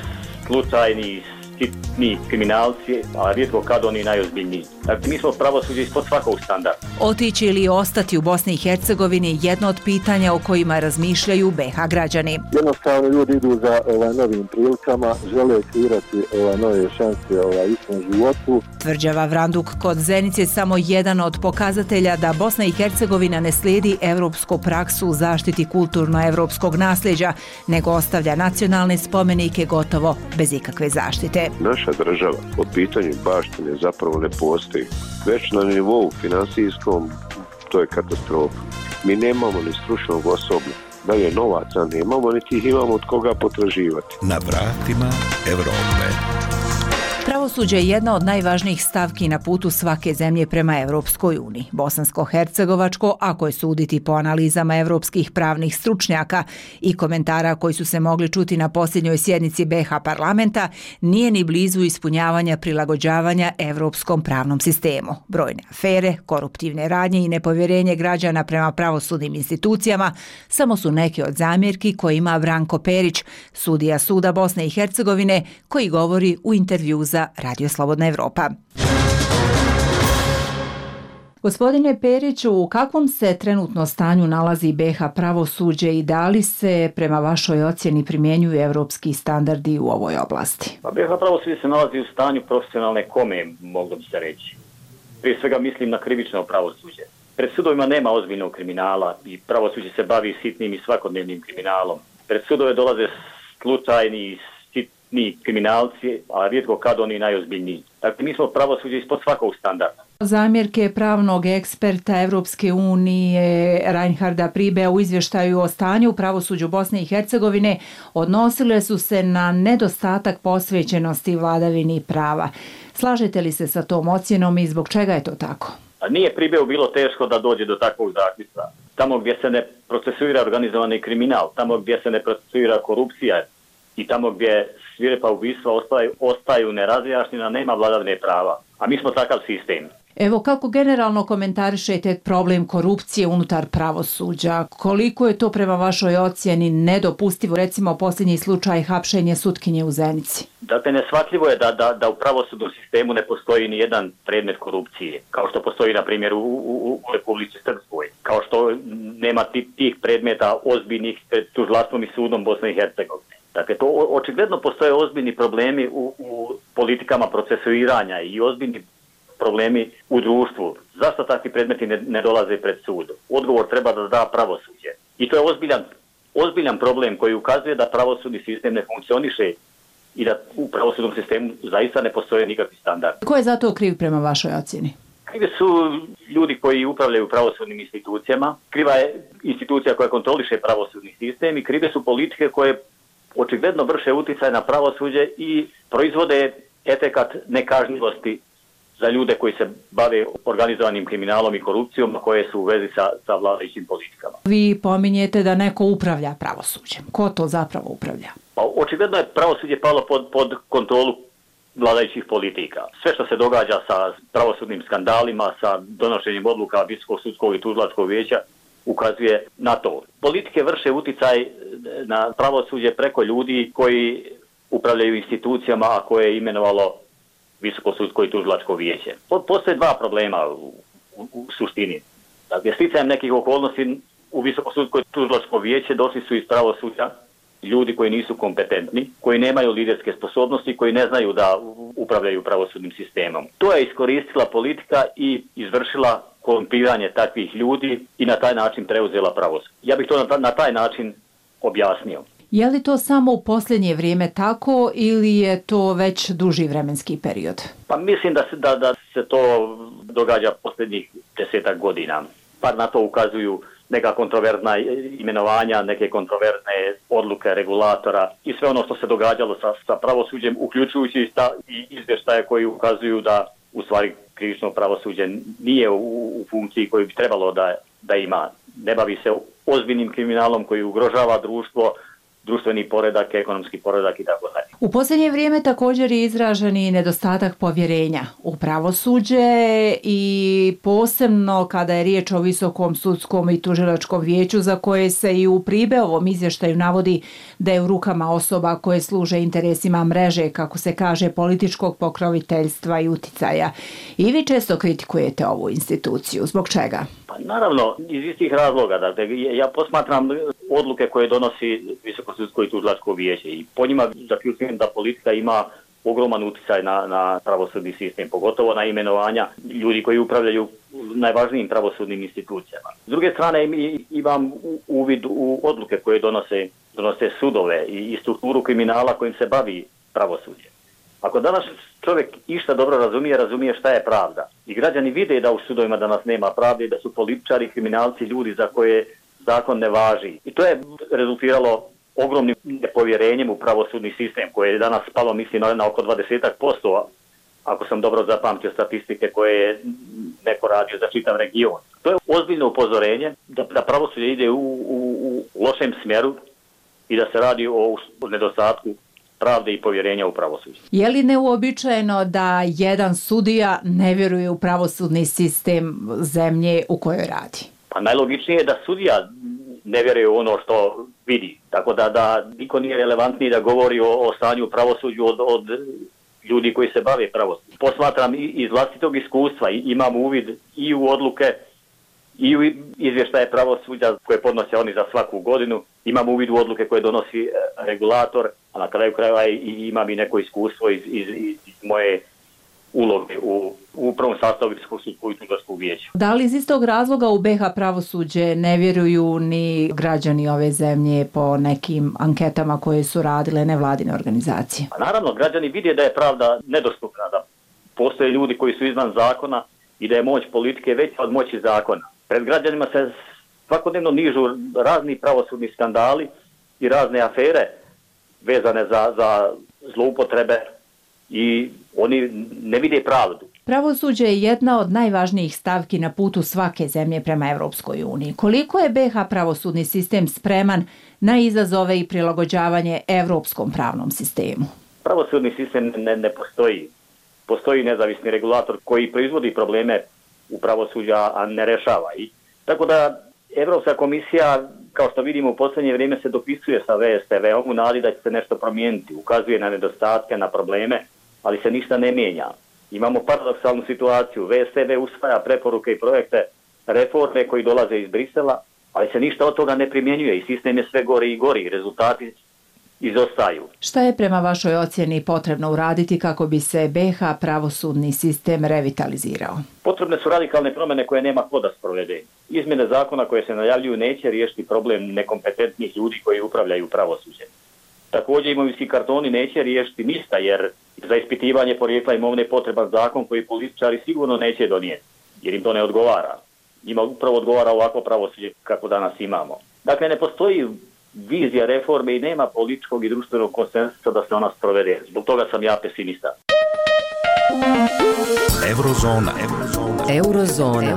slučajni sitni kriminalci, a rijetko kad oni najozbiljniji. Dakle, mi smo pravosuđe ispod svakog standarda. Otići ili ostati u Bosni i Hercegovini jedno od pitanja o kojima razmišljaju BiH građani. Jednostavno ljudi idu za novim prilikama, žele kreirati nove šanse u svom životu. Tvrđava Vranduk kod Zenice je samo jedan od pokazatelja da Bosna i Hercegovina ne slijedi evropsku praksu u zaštiti kulturno-evropskog nasljeđa, nego ostavlja nacionalne spomenike gotovo bez ikakve zaštite. Naša država po pitanju baštine zapravo ne postoji. Već na nivou finansijskom to je katastrofa. Mi nemamo ni stručnog osoblja. Dalje novaca nemamo, niti ih imamo od koga potraživati. Na vratima Evrope. Pravosuđe je jedna od najvažnijih stavki na putu svake zemlje prema Evropskoj uniji. Bosansko-hercegovačko, ako je suditi po analizama evropskih pravnih stručnjaka i komentara koji su se mogli čuti na posljednjoj sjednici BiH parlamenta, nije ni blizu ispunjavanja prilagođavanja evropskom pravnom sistemu. Brojne afere, koruptivne radnje i nepovjerenje građana prema pravosudnim institucijama samo su neke od zamjerki koje ima Branko Perić, sudija Suda Bosne i Hercegovine, koji govori u intervju za Radio Slobodna Evropa. Gospodine Periću, u kakvom se trenutno stanju nalazi BiH pravosuđe i da li se prema vašoj ocjeni primjenjuju evropski standardi u ovoj oblasti? BiH pravosuđe se nalazi u stanju profesionalne kome, moglo bi se reći. Prije svega mislim na krivično pravosuđe. Pred sudovima nema ozbiljnog kriminala i pravosuđe se bavi sitnim i svakodnevnim kriminalom. Pred sudove dolaze slučajni sitni kriminalci, a rijetko kad oni najozbiljniji. Dakle, mi smo pravosuđe ispod svakog standarda. Zamjerke pravnog eksperta Evropske unije Reinharda Pribea u izvještaju o stanju u pravosuđu Bosne i Hercegovine odnosile su se na nedostatak posvećenosti vladavini prava. Slažete li se sa tom ocjenom i zbog čega je to tako? Nije Pribeu bilo teško da dođe do takvog zaključka. Tamo gdje se ne procesuira organizovani kriminal, tamo gdje se ne procesuira korupcija i tamo gdje svirepa ubistva ostaju nerazjašnjena, nema vladavine prava. A mi smo takav sistem. Evo, kako generalno komentarišete problem korupcije unutar pravosuđa? Koliko je to prema vašoj ocjeni nedopustivo? Recimo, posljednji slučaj hapšenje sutkinje u Zenici. Dakle, neshvatljivo je da u pravosudnom sistemu ne postoji ni jedan predmet korupcije, kao što postoji, na primjer, u Republici Srpskoj, kao što nema tih predmeta ozbiljnih pred tužilaštvom i sudom Bosne i Hercegovine. Dakle, to očigledno postoje ozbiljni problemi u politikama procesuiranja i ozbiljni problemi u društvu. Zašto takvi predmeti ne dolaze pred sud? Odgovor treba da da pravosuđe. I to je ozbiljan ozbiljan problem koji ukazuje da pravosudni sistem ne funkcioniše i da u pravosudnom sistemu zaista ne postoje nikakvi standardi. Ko je za to kriv prema vašoj ocjeni? Krivi su ljudi koji upravljaju pravosudnim institucijama, kriva je institucija koja kontroliše pravosudni sistem i krive su politike koje očigledno vrše utjecaj na pravosuđe i proizvode efekat nekažnjivosti za ljude koji se bave organizovanim kriminalom i korupcijom, koje su u vezi sa vladajućim politikama. Vi pominjete da neko upravlja pravosuđem. Ko to zapravo upravlja? Pa, očigledno je pravosuđe palo pod kontrolu vladajućih politika. Sve što se događa sa pravosudnim skandalima, sa donošenjem odluka Visokog sudskog i tužilačkog vijeća ukazuje na to. Politike vrše utjecaj na pravosuđe preko ljudi koji upravljaju institucijama, a koje je imenovalo Visoko sudsko i tužilačko vijeće. Postoje dva problema u suštini. Dakle, sticajem nekih okolnosti u Visoko sudsko i tužilačko vijeće došli su iz pravosuđa ljudi koji nisu kompetentni, koji nemaju liderske sposobnosti, koji ne znaju da upravljaju pravosudnim sistemom. To je iskoristila politika i izvršila korumpiranje takvih ljudi i na taj način preuzela pravosuđe. Ja bih to na taj način objasnio. Je li to samo u posljednje vrijeme tako ili je to već duži vremenski period? Pa mislim da se to događa posljednjih 10 godina. Pa na to ukazuju neka kontroverzna imenovanja, neke kontroverzne odluke regulatora i sve ono što se događalo sa pravosuđem, uključujući i izvještaje koji ukazuju da u stvari krivično pravosuđe nije u funkciji koju bi trebalo da ima. Ne bavi se ozbiljnim kriminalom koji ugrožava društvo, društveni poredak, ekonomski poredak i tako dalje. U posljednje vrijeme također je izražen i nedostatak povjerenja u pravosuđe i posebno kada je riječ o Visokom sudskom i tužilačkom vijeću za koje se i u Pribeovom izvještaju navodi da je u rukama osoba koje služe interesima mreže, kako se kaže, političkog pokroviteljstva i uticaja. I vi često kritikujete ovu instituciju. Zbog čega? Pa naravno, iz istih razloga. Dakle, ja posmatram odluke koje donosi Visoko sudsko i tužilačko vijeće i po njima zaključujem da politika ima ogroman utjecaj na pravosudni sistem, pogotovo na imenovanja ljudi koji upravljaju najvažnijim pravosudnim institucijama. S druge strane imam uvid u odluke koje donose sudove i strukturu kriminala kojim se bavi pravosuđe. Ako danas čovjek išta dobro razumije šta je pravda. I građani vide da u sudovima danas nema pravde, da su političari, kriminalci, ljudi za koje zakon ne važi. I to je rezultiralo ogromnim nepovjerenjem u pravosudni sistem koje je danas spalo, mislim, na oko 20%, ako sam dobro zapamtio statistike koje je neko radio za čitav region. To je ozbiljno upozorenje da pravosuđe ide u lošem smjeru i da se radi o nedostatku pravde i povjerenja u pravosuđe. Je li neuobičajeno da jedan sudija ne vjeruje u pravosudni sistem zemlje u kojoj radi? Pa najlogičnije je da sudija ne vjeruje u ono što vidi. Tako da niko nije relevantniji da govori o stanju u pravosuđu od ljudi koji se bave pravosuđem. Posmatram iz vlastitog iskustva, imam uvid i u odluke i u izvještaje pravosuđa koje podnose oni za svaku godinu. Imam uvid u odluke koje donosi regulator, a na kraju krajeva imam i neko iskustvo iz moje uloge u prvom sastavu Visokog sudskog i tužilačkog vijeća. Da li iz istog razloga u BiH pravosuđe ne vjeruju ni građani ove zemlje po nekim anketama koje su radile nevladine organizacije? Pa naravno, građani vide da je pravda nedostupna, da postoje ljudi koji su izvan zakona i da je moć politike veća od moći zakona. Pred građanima se svakodnevno nižu razni pravosudni skandali i razne afere vezane za zloupotrebe i oni ne vide pravdu. Pravosuđe je jedna od najvažnijih stavki na putu svake zemlje prema Evropskoj uniji. Koliko je BiH pravosudni sistem spreman na izazove i prilagođavanje evropskom pravnom sistemu? Pravosudni sistem ne postoji. Postoji nezavisni regulator koji proizvodi probleme u pravosuđa, a ne rešava ih. Tako da Evropska komisija, kao što vidimo u posljednje vrijeme, se dopisuje sa VSTV-om u nadi da će se nešto promijeniti. Ukazuje na nedostatke, na probleme, ali se ništa ne mijenja. Imamo paradoksalnu situaciju. VSTV usvaja preporuke i projekte reforme koji dolaze iz Brisela, ali se ništa od toga ne primjenjuje i sistem je sve gori i gori. Rezultati izostaju. Šta je prema vašoj ocjeni potrebno uraditi kako bi se BiH pravosudni sistem revitalizirao? Potrebne su radikalne promjene koje nema ko da sprovede. Izmjene zakona koje se najavljuju neće riješiti problem nekompetentnih ljudi koji upravljaju pravosuđem. Također imovinski kartoni neće riješiti ništa jer za ispitivanje porijekla imovine potreban zakon koji političari sigurno neće donijeti jer im to ne odgovara. Njima upravo odgovara ovako pravosuđe kako danas imamo. Dakle, ne postoji vizija reforme i nema političkog i društvenog konsenzusa da se ona sprovede. Zbog toga sam ja pesimista. Eurozona.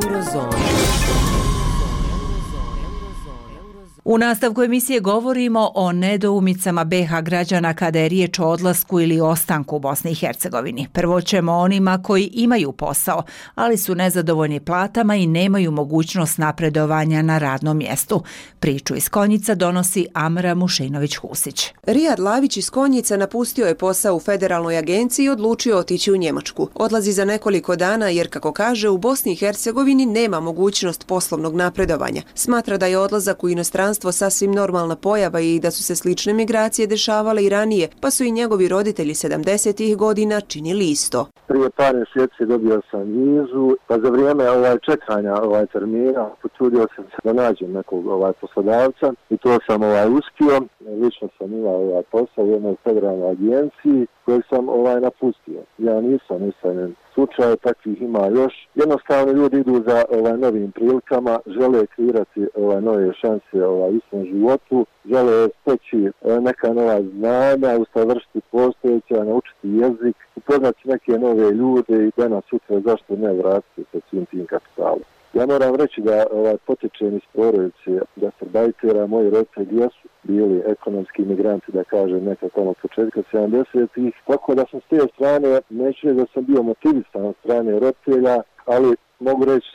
U nastavku emisije govorimo o nedoumicama BiH građana kada je riječ o odlasku ili ostanku u Bosni i Hercegovini. Prvo ćemo onima koji imaju posao, ali su nezadovoljni platama i nemaju mogućnost napredovanja na radnom mjestu. Priču iz Konjica donosi Amra Mušinović-Husić. Rijad Lavić iz Konjica napustio je posao u federalnoj agenciji i odlučio otići u Njemačku. Odlazi za nekoliko dana jer, kako kaže, u Bosni i Hercegovini nema mogućnost poslovnog napredovanja. Smatra da je odlazak u inostranstvo sasvim normalna pojava i da su se slične migracije dešavale i ranije, pa su i njegovi roditelji 70-ih godina činili isto. Prije par mjeseci dobio sam vizu, pa za vrijeme čekanja termina potrudio sam se da nađem nekog poslodavca i to sam uspio. Lično sam imao posao u jednoj federalnoj agenciji kojeg sam napustio. Ja nisam usamljen slučaj, takvih ima još. Jednostavno ljudi idu za novim prilikama, žele kreirati nove šanse u svom životu, žele steći neka nova znanja, usavršiti postojeća, naučiti jezik, upoznati neke nove ljude i danas sutra zašto ne vratiti sa svim tim kapitalom. Ja moram reći da potječem iz porodice gastarbajtera, moji roditelji jesu bili ekonomski migranti, da kažem, nekako tamo početka 70-ih, tako da sam s te strane, neću reći da sam bio motivisan od strane roditelja, ali mogu reći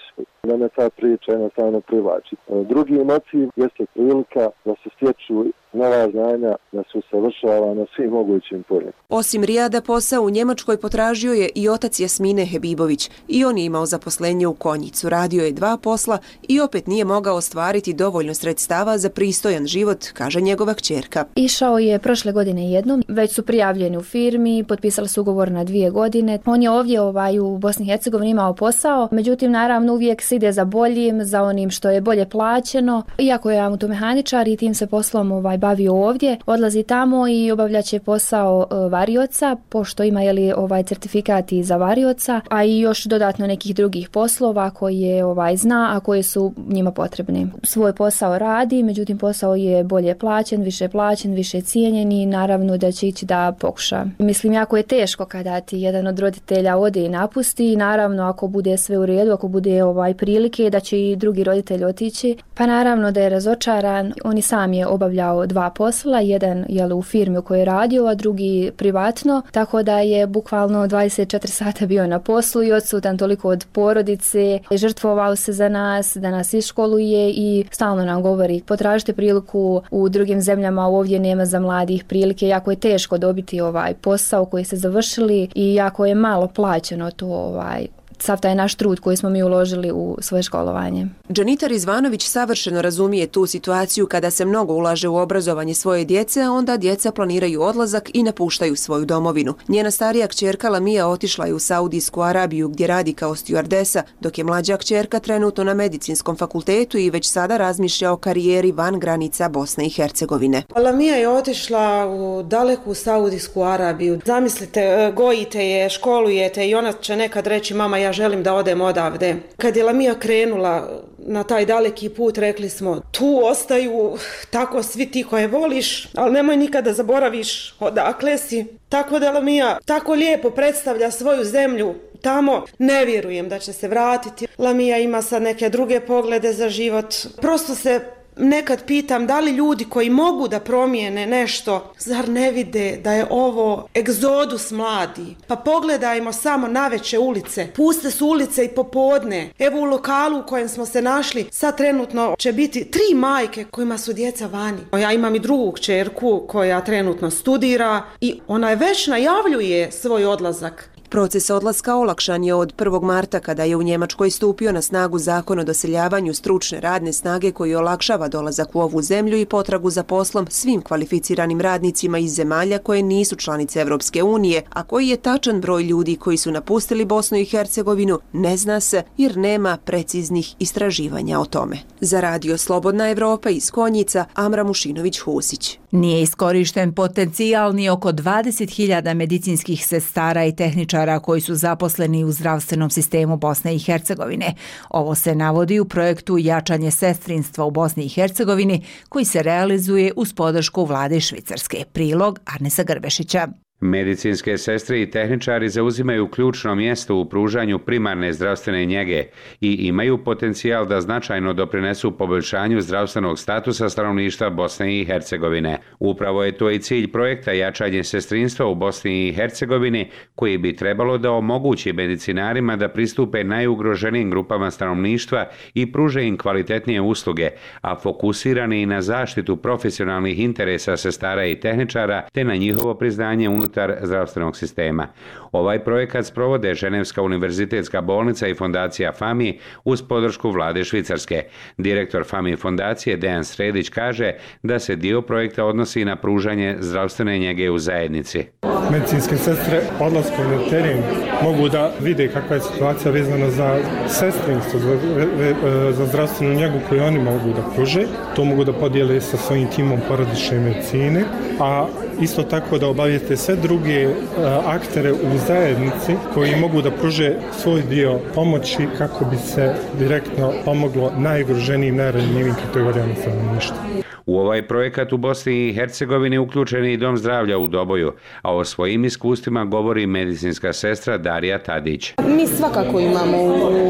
da me ta priča jednostavno privlači. Drugi motiv jeste prilika da se stječu nova znanja, da se usavršava na svim mogućim poljima. Osim Rijada, posao u Njemačkoj potražio je i otac Jasmine Hebibović. I on je imao zaposlenje u Konjicu. Radio je 2 posla i opet nije mogao ostvariti dovoljno sredstava za pristojan život, kaže njegova kćerka. Išao je prošle godine jednom, već su prijavljeni u firmi, potpisali su ugovor na 2 godine. On je ovdje u Bosni i Hercegovini imao posao, međutim naravno uvijek se ide za boljim, za onim što je bolje plaćeno. Iako je automehaničar i tim se poslom bavio ovdje, odlazi tamo i obavljaće posao varioca, pošto ima certifikat i za varioca, a i još dodatno nekih drugih poslova koje zna, a koje su njima potrebni. Svoj posao radi, međutim posao je bolje plaćen, više cijenjen i naravno da će ići da pokuša. Mislim, jako je teško kada ti jedan od roditelja ode i napusti, naravno ako bude sve u redu, ako bude prilike da će i drugi roditelj otići, pa naravno da je razočaran. On i sam je obavljao 2 posla, jedan u firmi u kojoj je radio, a drugi privatno, tako da je bukvalno 24 sata bio na poslu i odsutan toliko od porodice, žrtvovao se za nas, da nas iškoluje i stalno nam govori potražite priliku u drugim zemljama, ovdje nema za mladih prilike, jako je teško dobiti posao koji se završili i jako je malo plaćeno to sav taj naš trud koji smo mi uložili u svoje školovanje. Džanitar Izvanović savršeno razumije tu situaciju kada se mnogo ulaže u obrazovanje svoje djece, a onda djeca planiraju odlazak i napuštaju svoju domovinu. Njena starija kćerka Lamija otišla je u Saudijsku Arabiju gdje radi kao stjuardesa, dok je mlađa kćerka trenutno na medicinskom fakultetu i već sada razmišlja o karijeri van granica Bosne i Hercegovine. Lamija je otišla u daleku Saudijsku Arabiju. Zamislite, gojite je, školujete i ona će nekad reći mama ja želim da odem odavde. Kad je Lamija krenula na taj daleki put, rekli smo tu ostaju tako svi ti koje voliš, ali nemoj nikada zaboraviš odakle si. Tako da Lamija tako lijepo predstavlja svoju zemlju tamo. Ne vjerujem da će se vratiti. Lamija ima sad neke druge poglede za život. Prosto se nekad pitam da li ljudi koji mogu da promijene nešto, zar ne vide da je ovo egzodus mladi? Pa pogledajmo samo naveče ulice. Puste su ulice i popodne. Evo u lokalu u kojem smo se našli, sad trenutno će biti 3 majke kojima su djeca vani. Ja imam i drugu kćerku koja trenutno studira i ona je već najavljuje svoj odlazak. Proces odlaska olakšan je od 1. marta kada je u Njemačkoj stupio na snagu zakon o doseljavanju stručne radne snage koji olakšava dolazak u ovu zemlju i potragu za poslom svim kvalificiranim radnicima iz zemalja koje nisu članice Evropske unije, a koji je tačan broj ljudi koji su napustili Bosnu i Hercegovinu ne zna se jer nema preciznih istraživanja o tome. Za Radio Slobodna Evropa iz Konjica, Amra Mušinović-Husić. Nije iskorišten potencijal ni oko 20.000 medicinskih sestara i tehničara koji su zaposleni u zdravstvenom sistemu Bosne i Hercegovine. Ovo se navodi u projektu Jačanje sestrinstva u Bosni i Hercegovini koji se realizuje uz podršku vlade Švicarske. Prilog Arnesa Grbešića. Medicinske sestre i tehničari zauzimaju ključno mjesto u pružanju primarne zdravstvene njege i imaju potencijal da značajno doprinesu poboljšanju zdravstvenog statusa stanovništva Bosne i Hercegovine. Upravo je to i cilj projekta Jačanje sestrinstva u Bosni i Hercegovini, koji bi trebalo da omogući medicinarima da pristupe najugroženijim grupama stanovništva i pruže im kvalitetnije usluge, a fokusirani i na zaštitu profesionalnih interesa sestara i tehničara te na njihovo priznanje unutar zdravstvenog sistema. Ovaj projekat sprovode Ženevska univerzitetska bolnica i fondacija FAMI uz podršku vlade Švicarske. Direktor FAMI fondacije Dejan Sredić kaže da se dio projekta odnosi na pružanje zdravstvene njege u zajednici. Medicinske sestre odlaskom na teren mogu da vide kakva je situacija vezana za sestrinstvo, za zdravstvenu njegu koju oni mogu da pruže. To mogu da podijele sa svojim timom porodične medicine, a isto tako da obavijeste sve druge aktere u zajednici koji mogu da pruže svoj dio pomoći kako bi se direktno pomoglo najugroženijim, najranjivijim kategorijama stanovništva. U ovaj projekat u Bosni i Hercegovini uključen je i Dom zdravlja u Doboju, a o svojim iskustvima govori medicinska sestra Darija Tadić. Mi svakako imamo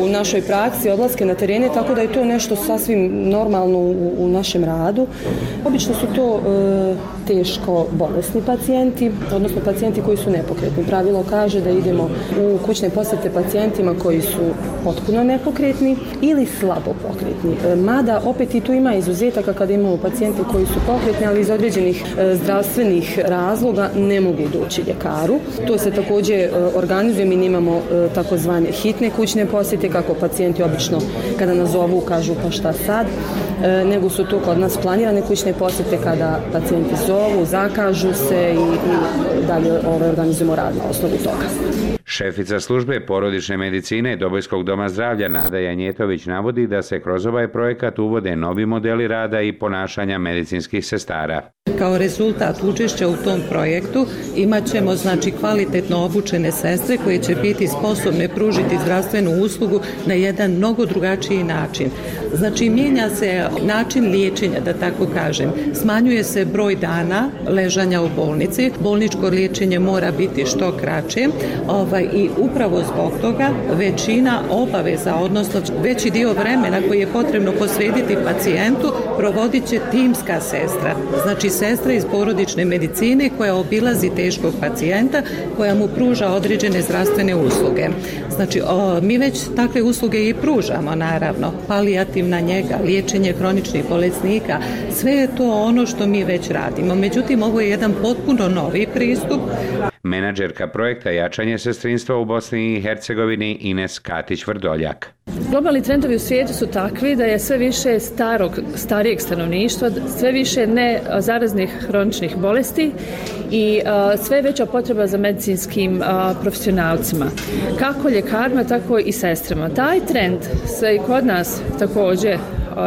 u našoj praksi odlaske na terene, tako da je to nešto sasvim normalno u našem radu. Obično su to teško bolesni pacijenti, odnosno pacijenti koji su nepokretni. Pravilo kaže da idemo u kućne posjete pacijentima koji su potpuno nepokretni ili slabo pokretni. Mada opet i tu ima izuzetaka kada imamo pacijenti koji su pokretni, ali iz određenih zdravstvenih razloga ne mogu doći ljekaru. To se također organizuje, mi imamo takozvane hitne kućne posjete, kako pacijenti obično kada nas zovu kažu pa šta sad, nego su to kod nas planirane kućne posjete kada pacijenti zovu, zakažu se i dalje organizujemo rad na osnovu toga. Šefica službe porodične medicine Dobojskog doma zdravlja Nada Janjetović navodi da se kroz ovaj projekat uvode novi modeli rada i ponašanja medicinskih sestara. Kao rezultat učešća u tom projektu imat ćemo kvalitetno obučene sestre koje će biti sposobne pružiti zdravstvenu uslugu na jedan mnogo drugačiji način. Mijenja se način liječenja, da tako kažem. Smanjuje se broj dana ležanja u bolnici. Bolničko liječenje mora biti što kraće i upravo zbog toga većina obaveza, odnosno veći dio vremena koji je potrebno posvetiti pacijentu provodit će timska sestra. Sestra iz porodične medicine koja obilazi teškog pacijenta, koja mu pruža određene zdravstvene usluge. Mi već takve usluge i pružamo, naravno. Palijativna njega, liječenje kroničnih bolesnika, sve je to ono što mi već radimo. Međutim, ovo je jedan potpuno novi pristup. Menadžerka projekta Jačanje sestrinstva u Bosni i Hercegovini Ines Katić-Vrdoljak. Globalni trendovi u svijetu su takvi da je sve više starijeg stanovništva, sve više nezaraznih hroničnih bolesti i sve veća potreba za medicinskim profesionalcima, kako ljekarima, tako i sestrama. Taj trend se i kod nas također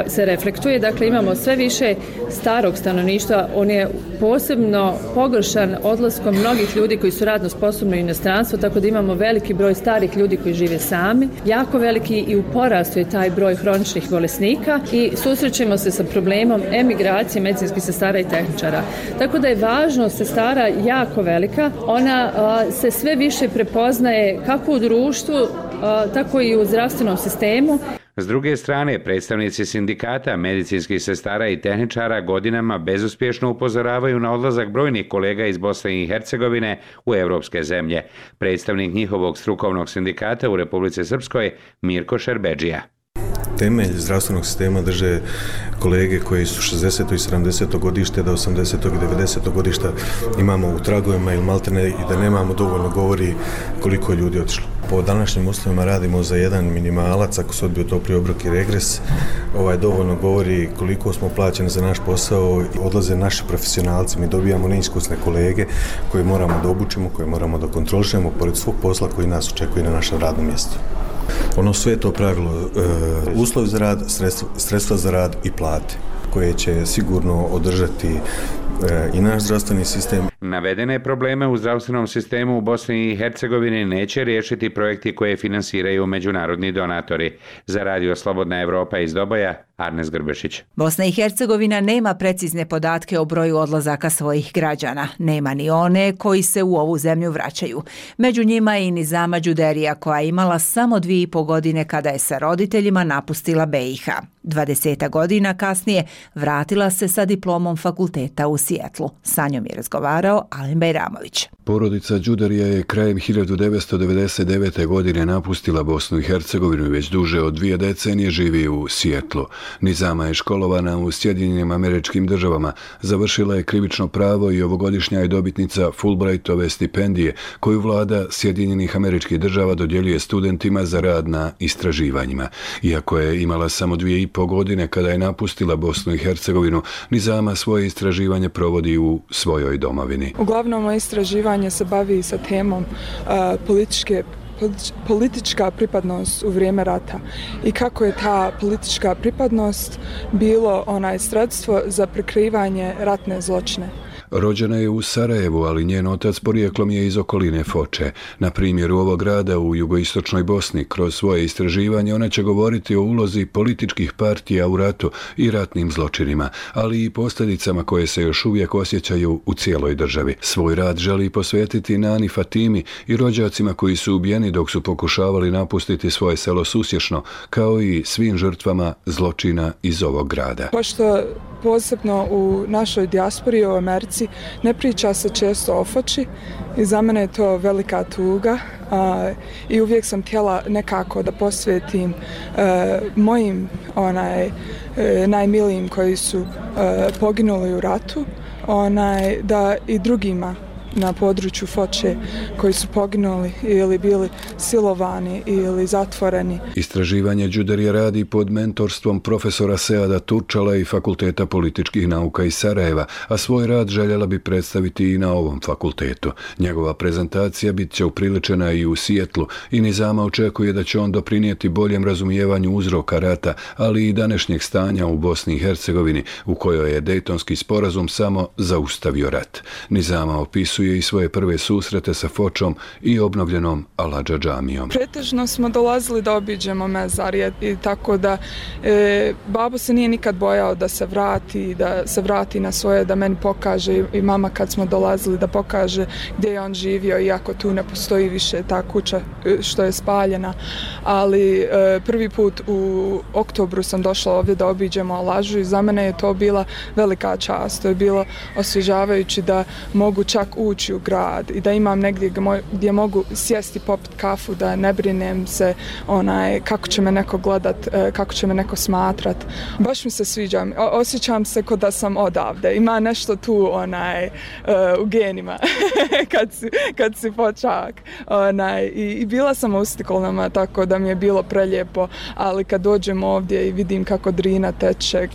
se reflektuje, dakle imamo sve više starog stanovništva, on je posebno pogoršan odlaskom mnogih ljudi koji su radno sposobni u inostranstvo, tako da imamo veliki broj starih ljudi koji žive sami, jako veliki i u porastu je taj broj hroničnih bolesnika i susrećemo se sa problemom emigracije medicinskih sestara i tehničara. Tako da je važnost sestara jako velika, ona se sve više prepoznaje kako u društvu, tako i u zdravstvenom sistemu. S druge strane, predstavnici sindikata medicinskih sestara i tehničara godinama bezuspješno upozoravaju na odlazak brojnih kolega iz Bosne i Hercegovine u evropske zemlje. Predstavnik njihovog strukovnog sindikata u Republici Srpskoj, Mirko Šerbedžija. temelj zdravstvenog sistema drže kolege koji su 60. i 70. godište, da 80. i 90. godišta imamo u tragovima ili maltene i da nemamo dovoljno govori koliko je ljudi otišlo. Po današnjim uslovima radimo za jedan minimalac, ako se odbio topli obrok i regres, dovoljno govori koliko smo plaćeni za naš posao, odlaze naši profesionalci, mi dobijamo neiskusne kolege koje moramo da obučimo, koje moramo da kontrolišemo pored svog posla koji nas očekuje na našem radnom mjestu. Sve je to pravilo, uslovi za rad, sredstva za rad i plate koje će sigurno održati i naš zdravstveni sistem. Navedene probleme u zdravstvenom sistemu u Bosni i Hercegovini neće riješiti projekti koje finansiraju međunarodni donatori. Za Radio Slobodna Evropa iz Doboja, Arnes Grbešić. Bosna i Hercegovina nema precizne podatke o broju odlazaka svojih građana. Nema ni one koji se u ovu zemlju vraćaju. Među njima je i Nizama Đuderija koja je imala samo 2,5 godine kada je sa roditeljima napustila BiH. 20 godina kasnije vratila se sa diplomom fakulteta u Sijetlu. Sa njom je razgovarao Alen Bajramović. Porodica Đuderija je krajem 1999. godine napustila Bosnu i Hercegovinu i već duže od 2 decenije živi u Sijetlu. Nizama je školovana u Sjedinjenim Američkim Državama, završila je krivično pravo i ovogodišnja je dobitnica Fulbrightove stipendije koju vlada Sjedinjenih Američkih Država dodjeljuje studentima za rad na istraživanjima. Iako je imala samo 2,5 godine kada je napustila Bosnu i Hercegovinu, Nizama svoje istraživanje provodi u svojoj domovini. Uglavnom, moje istraživanje se bavi sa temom politička pripadnost u vrijeme rata i kako je ta politička pripadnost bilo sredstvo za prikrivanje ratne zločine. Rođena je u Sarajevu, ali njen otac porijeklom je iz okoline Foče. Na primjeru ovog grada u jugoistočnoj Bosni, kroz svoje istraživanje ona će govoriti o ulozi političkih partija u ratu i ratnim zločinima, ali i posljedicama koje se još uvijek osjećaju u cijeloj državi. Svoj rad želi posvetiti Nani Fatimi i rođacima koji su ubijeni dok su pokušavali napustiti svoje selo Susješno, kao i svim žrtvama zločina iz ovog grada. Pošto posebno u našoj dijaspori u Americi ne priča se često o Foči i za mene je to velika tuga i uvijek sam htjela nekako da posvetim mojim najmilijim koji su poginuli u ratu, da i drugima na području Foče koji su poginuli ili bili silovani ili zatvoreni. Istraživanje Đuderija radi pod mentorstvom profesora Seada Turčala i Fakulteta političkih nauka iz Sarajeva, a svoj rad željela bi predstaviti i na ovom fakultetu. Njegova prezentacija bit će upriličena i u Sijetlu i Nizama očekuje da će on doprinijeti boljem razumijevanju uzroka rata, ali i današnjeg stanja u Bosni i Hercegovini, u kojoj je Dejtonski sporazum samo zaustavio rat. Nizama opisuje i svoje prve susrete sa Fočom i obnovljenom Aladža džamijom. Pretežno smo dolazili da obiđemo mezar i tako da babo se nije nikad bojao da se vrati na svoje, da meni pokaže i mama kad smo dolazili da pokaže gdje je on živio, iako tu ne postoji više ta kuća što je spaljena. Ali prvi put u oktobru sam došla ovdje da obiđemo Aladžu i za mene je to bila velika čast. To je bilo osvježavajući da mogu čak ući u grad i da imam negdje gdje mogu sjesti, popit kafu, da ne brinem se kako će me neko gledat, kako će me neko smatrat. Baš mi se sviđa, osjećam se kao da sam odavde. Ima nešto tu u genima kad si počak. I bila sam u Stikolnama, tako da mi je bilo prelijepo, ali kad dođem ovdje i vidim kako Drina teče,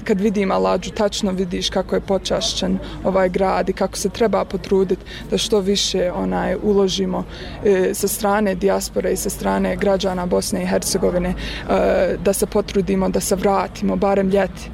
kad vidim Aladžu, tačno vidiš kako je počašćen ovaj grad i kako se treba potruditi da što više uložimo sa strane dijaspore i sa strane građana Bosne i Hercegovine, da se potrudimo, da se vratimo, barem ljeti,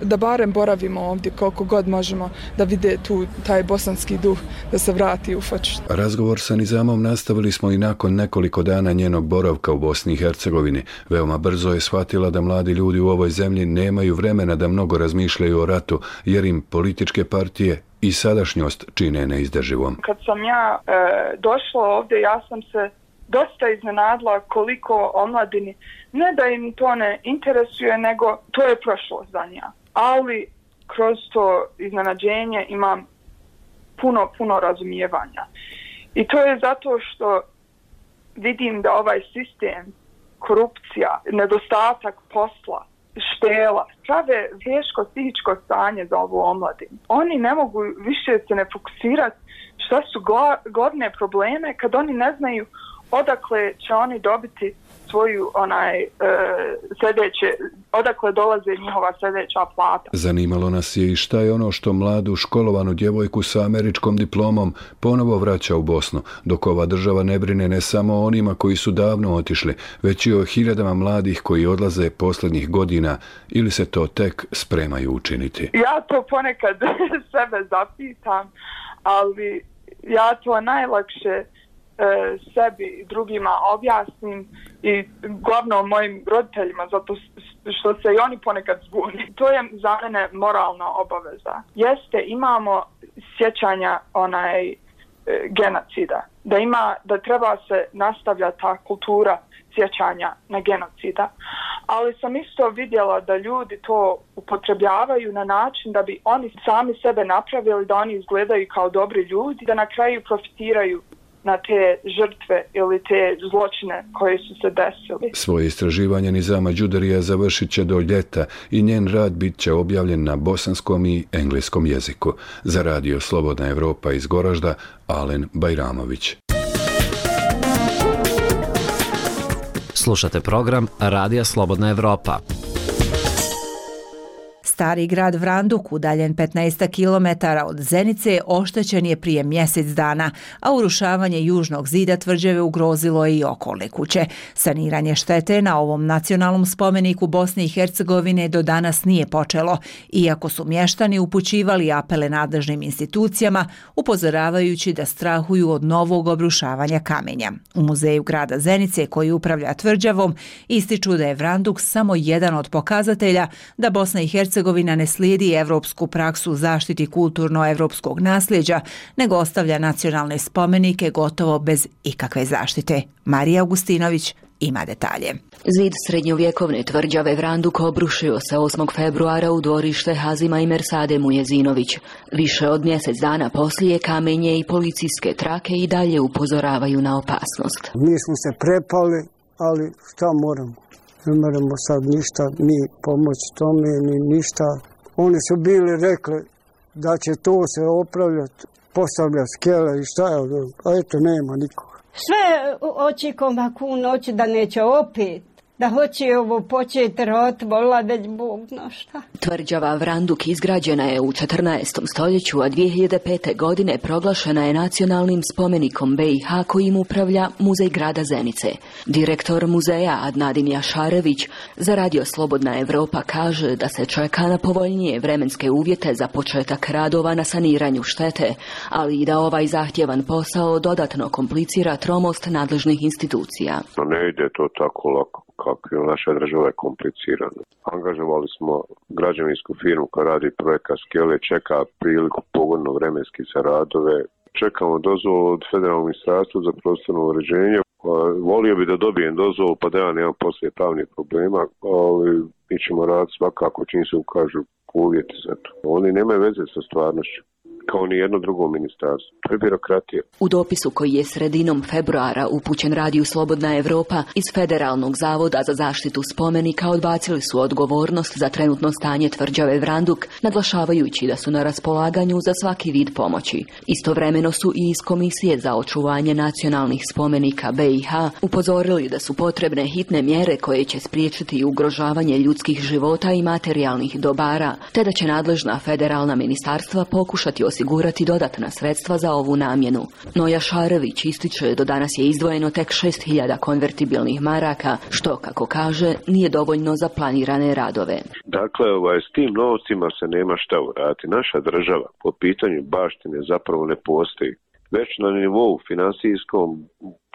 da barem boravimo ovdje koliko god možemo, da vide tu taj bosanski duh, da se vrati u Foču. Razgovor sa Nizamom nastavili smo i nakon nekoliko dana njenog boravka u Bosni i Hercegovini. Veoma brzo je shvatila da mladi ljudi u ovoj zemlji nemaju vremena da mnogo razmišljaju o ratu, jer im političke partije i sadašnjost čine neizdrživom. Kad sam ja došla ovdje, ja sam se dosta iznenadila koliko omladini, ne da im to ne interesuje, nego to je prošlost za njih. Ali kroz to iznenađenje imam puno razumijevanja. I to je zato što vidim da ovaj sistem korupcija, nedostatak posla, štela, prave teško psihičko stanje za ovu omladinu. Oni ne mogu više se ne fokusirati šta su glavne probleme kad oni ne znaju odakle će oni dobiti svoju odakle dolaze njihova sljedeća plata. Zanimalo nas je i šta je ono što mladu školovanu djevojku sa američkom diplomom ponovo vraća u Bosnu, dok ova država ne brine ne samo o onima koji su davno otišli, već i o hiljadama mladih koji odlaze posljednjih godina ili se to tek spremaju učiniti. Ja to ponekad sebe zapitam, ali ja to najlakše sebi i drugima objasnim i glavnom mojim roditeljima, zato što se i oni ponekad zbuni. To je za mene moralna obaveza. Jeste, imamo sjećanja genocida, da treba se nastavljati ta kultura sjećanja na genocida, ali sam isto vidjela da ljudi to upotrebljavaju na način da bi oni sami sebe napravili, da oni izgledaju kao dobri ljudi, da na kraju profitiraju na te žrtve ili te zločine koje su se desili. Svoje istraživanje Nizama Đudarija završit će do ljeta i njen rad bit će objavljen na bosanskom i engleskom jeziku. Za radio Slobodna Evropa iz Goražda, Alen Bajramović. Slušate program Radija Slobodna Evropa. Stari grad Vranduk, udaljen 15 km od Zenice, oštećen je prije mjesec dana, a urušavanje južnog zida tvrđave ugrozilo je i okolne kuće. Saniranje štete na ovom nacionalnom spomeniku Bosne i Hercegovine do danas nije počelo, iako su mještani upućivali apele nadležnim institucijama, upozoravajući da strahuju od novog obrušavanja kamenja. U muzeju grada Zenice, koji upravlja tvrđavom, ističu da je Vranduk samo jedan od pokazatelja da Bosna i Hercegovina ne slijedi evropsku praksu zaštiti kulturno-evropskog nasljeđa, nego ostavlja nacionalne spomenike gotovo bez ikakve zaštite. Marija Augustinović ima detalje. Zid srednjovjekovne tvrđave Vranduk obrušio se 8. februara u dvorište Hazima i Mersade Mujezinović. Više od mjesec dana poslije kamenje i policijske trake i dalje upozoravaju na opasnost. Mi smo se prepali, ali šta moramo? Ne moramo sad ništa, mi pomoći tome, ni ništa. Oni su bili rekli da će to se opravljati, postavljati skele i šta je, a eto nema nikoga. Sve očekam ako u noći da neće opet, da hoće ovo početi rot, volila već Bog zna šta. Tvrđava Vranduk izgrađena je u 14. stoljeću, a 2005. godine proglašena je nacionalnim spomenikom BiH kojim upravlja Muzej grada Zenice. Direktor muzeja Adnadin Jašarević za radio Slobodna Evropa kaže da se čeka na povoljnije vremenske uvjete za početak radova na saniranju štete, ali i da ovaj zahtjevan posao dodatno komplicira tromost nadležnih institucija. Ne ide to tako lako. Kako je naša država je komplicirana. Angažovali smo građevinsku firmu koja radi projekat skele, čeka priliku pogodno vremenski za radove. Čekamo dozvolu od Federalnog ministarstva za prostorno uređenje. Volio bi da dobijem dozvolu pa da ja nemam poslije pravnih problema, ali mi ćemo raditi svakako čim se ukažu uvjeti za to. Oni nemaju veze sa stvarnošću, kao ni jedno drugo ministarstvo. To je birokratija. U dopisu koji je sredinom februara upućen radiju Slobodna Evropa iz Federalnog zavoda za zaštitu spomenika odbacili su odgovornost za trenutno stanje tvrđave Vranduk, naglašavajući da su na raspolaganju za svaki vid pomoći. Istovremeno su i iz Komisije za očuvanje nacionalnih spomenika BiH upozorili da su potrebne hitne mjere koje će spriječiti ugrožavanje ljudskih života i materijalnih dobara, te da će nadležna federalna ministarstva pokušati osigurati dodatna sredstva za ovu namjenu. No Jašarević ističe do danas je izdvojeno tek 6.000 konvertibilnih maraka, što, kako kaže, nije dovoljno za planirane radove. Dakle, s tim novcima se nema šta uraditi. Naša država po pitanju baštine zapravo ne postoji. Već na nivou finansijskom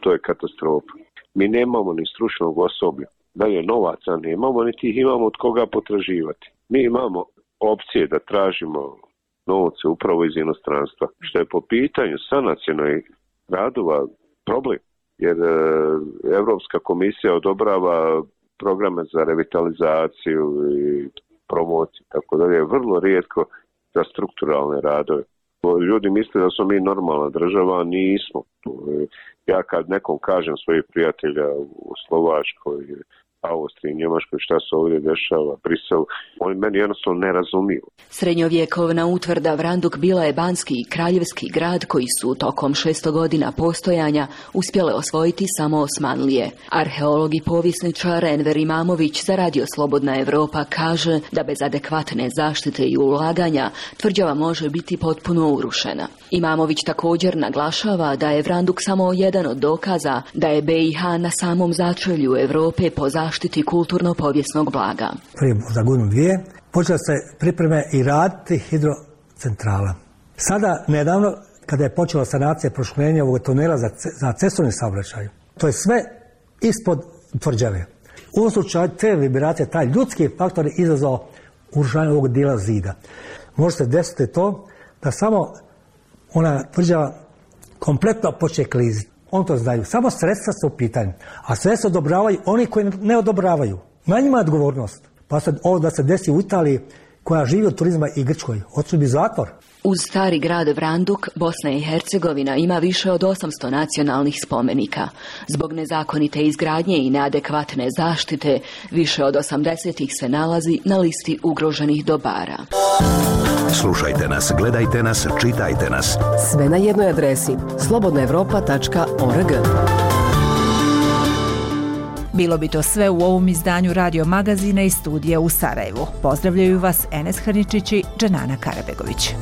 to je katastrofa. Mi nemamo ni stručnog osoblja. Dalje novaca nemamo, niti ih imamo od koga potraživati. Mi imamo opcije da tražimo novce upravo iz inostranstva, što je po pitanju sanacionalnih radova problem, jer Europska komisija odobrava programe za revitalizaciju i promociju, tako da je vrlo rijetko za strukturalne radove. Ljudi misle da smo mi normalna država, a nismo. Ja kad nekom kažem svojih prijatelja u Slovačkoj, Austriji, Njemačkoj, šta se ovdje dešava, Briselu, oni meni jednostavno ne razumiju. Srednjovjekovna utvrda Vranduk bila je banski i kraljevski grad koji su tokom 600 godina postojanja uspjele osvojiti samo Osmanlije. Arheolog i povjesničar Enver Imamović za Radio Slobodna Evropa kaže da bez adekvatne zaštite i ulaganja tvrđava može biti potpuno urušena. Imamović također naglašava da je Vranduk samo jedan od dokaza da je BiH na samom začelju Europe po zaštiti kulturno-povijesnog blaga. Prije za godinu dvije počela se pripreme i raditi hidrocentrala. Sada, nedavno, kada je počela sanacija proširenja ovog tunela za cestovni saobraćaj, to je sve ispod tvrđave. U ovom slučaju te vibracije, taj ljudski faktor je izazvao urušavanje ovog dijela zida. Može se desiti to da samo ona tvrđava kompletno počne kliziti. On to znaju. Samo sredstva su u pitanju. A sredstva odobravaju oni koji ne odobravaju. Na njima je odgovornost. Pa sad ovo da se desi u Italiji koja živi od turizma i Grčkoj. Hoće bi zatvor. Uz stari grad Vranduk, Bosna i Hercegovina ima više od 800 nacionalnih spomenika. Zbog nezakonite izgradnje i neadekvatne zaštite, više od 80 ih se nalazi na listi ugroženih dobara. Slušajte nas, gledajte nas, čitajte nas. Sve na jednoj adresi slobodnaevropa.org. Bilo bi to sve u ovom izdanju Radio Magazina iz studija u Sarajevu. Pozdravljaju vas Enes Hrničić i Dženana Karabegović.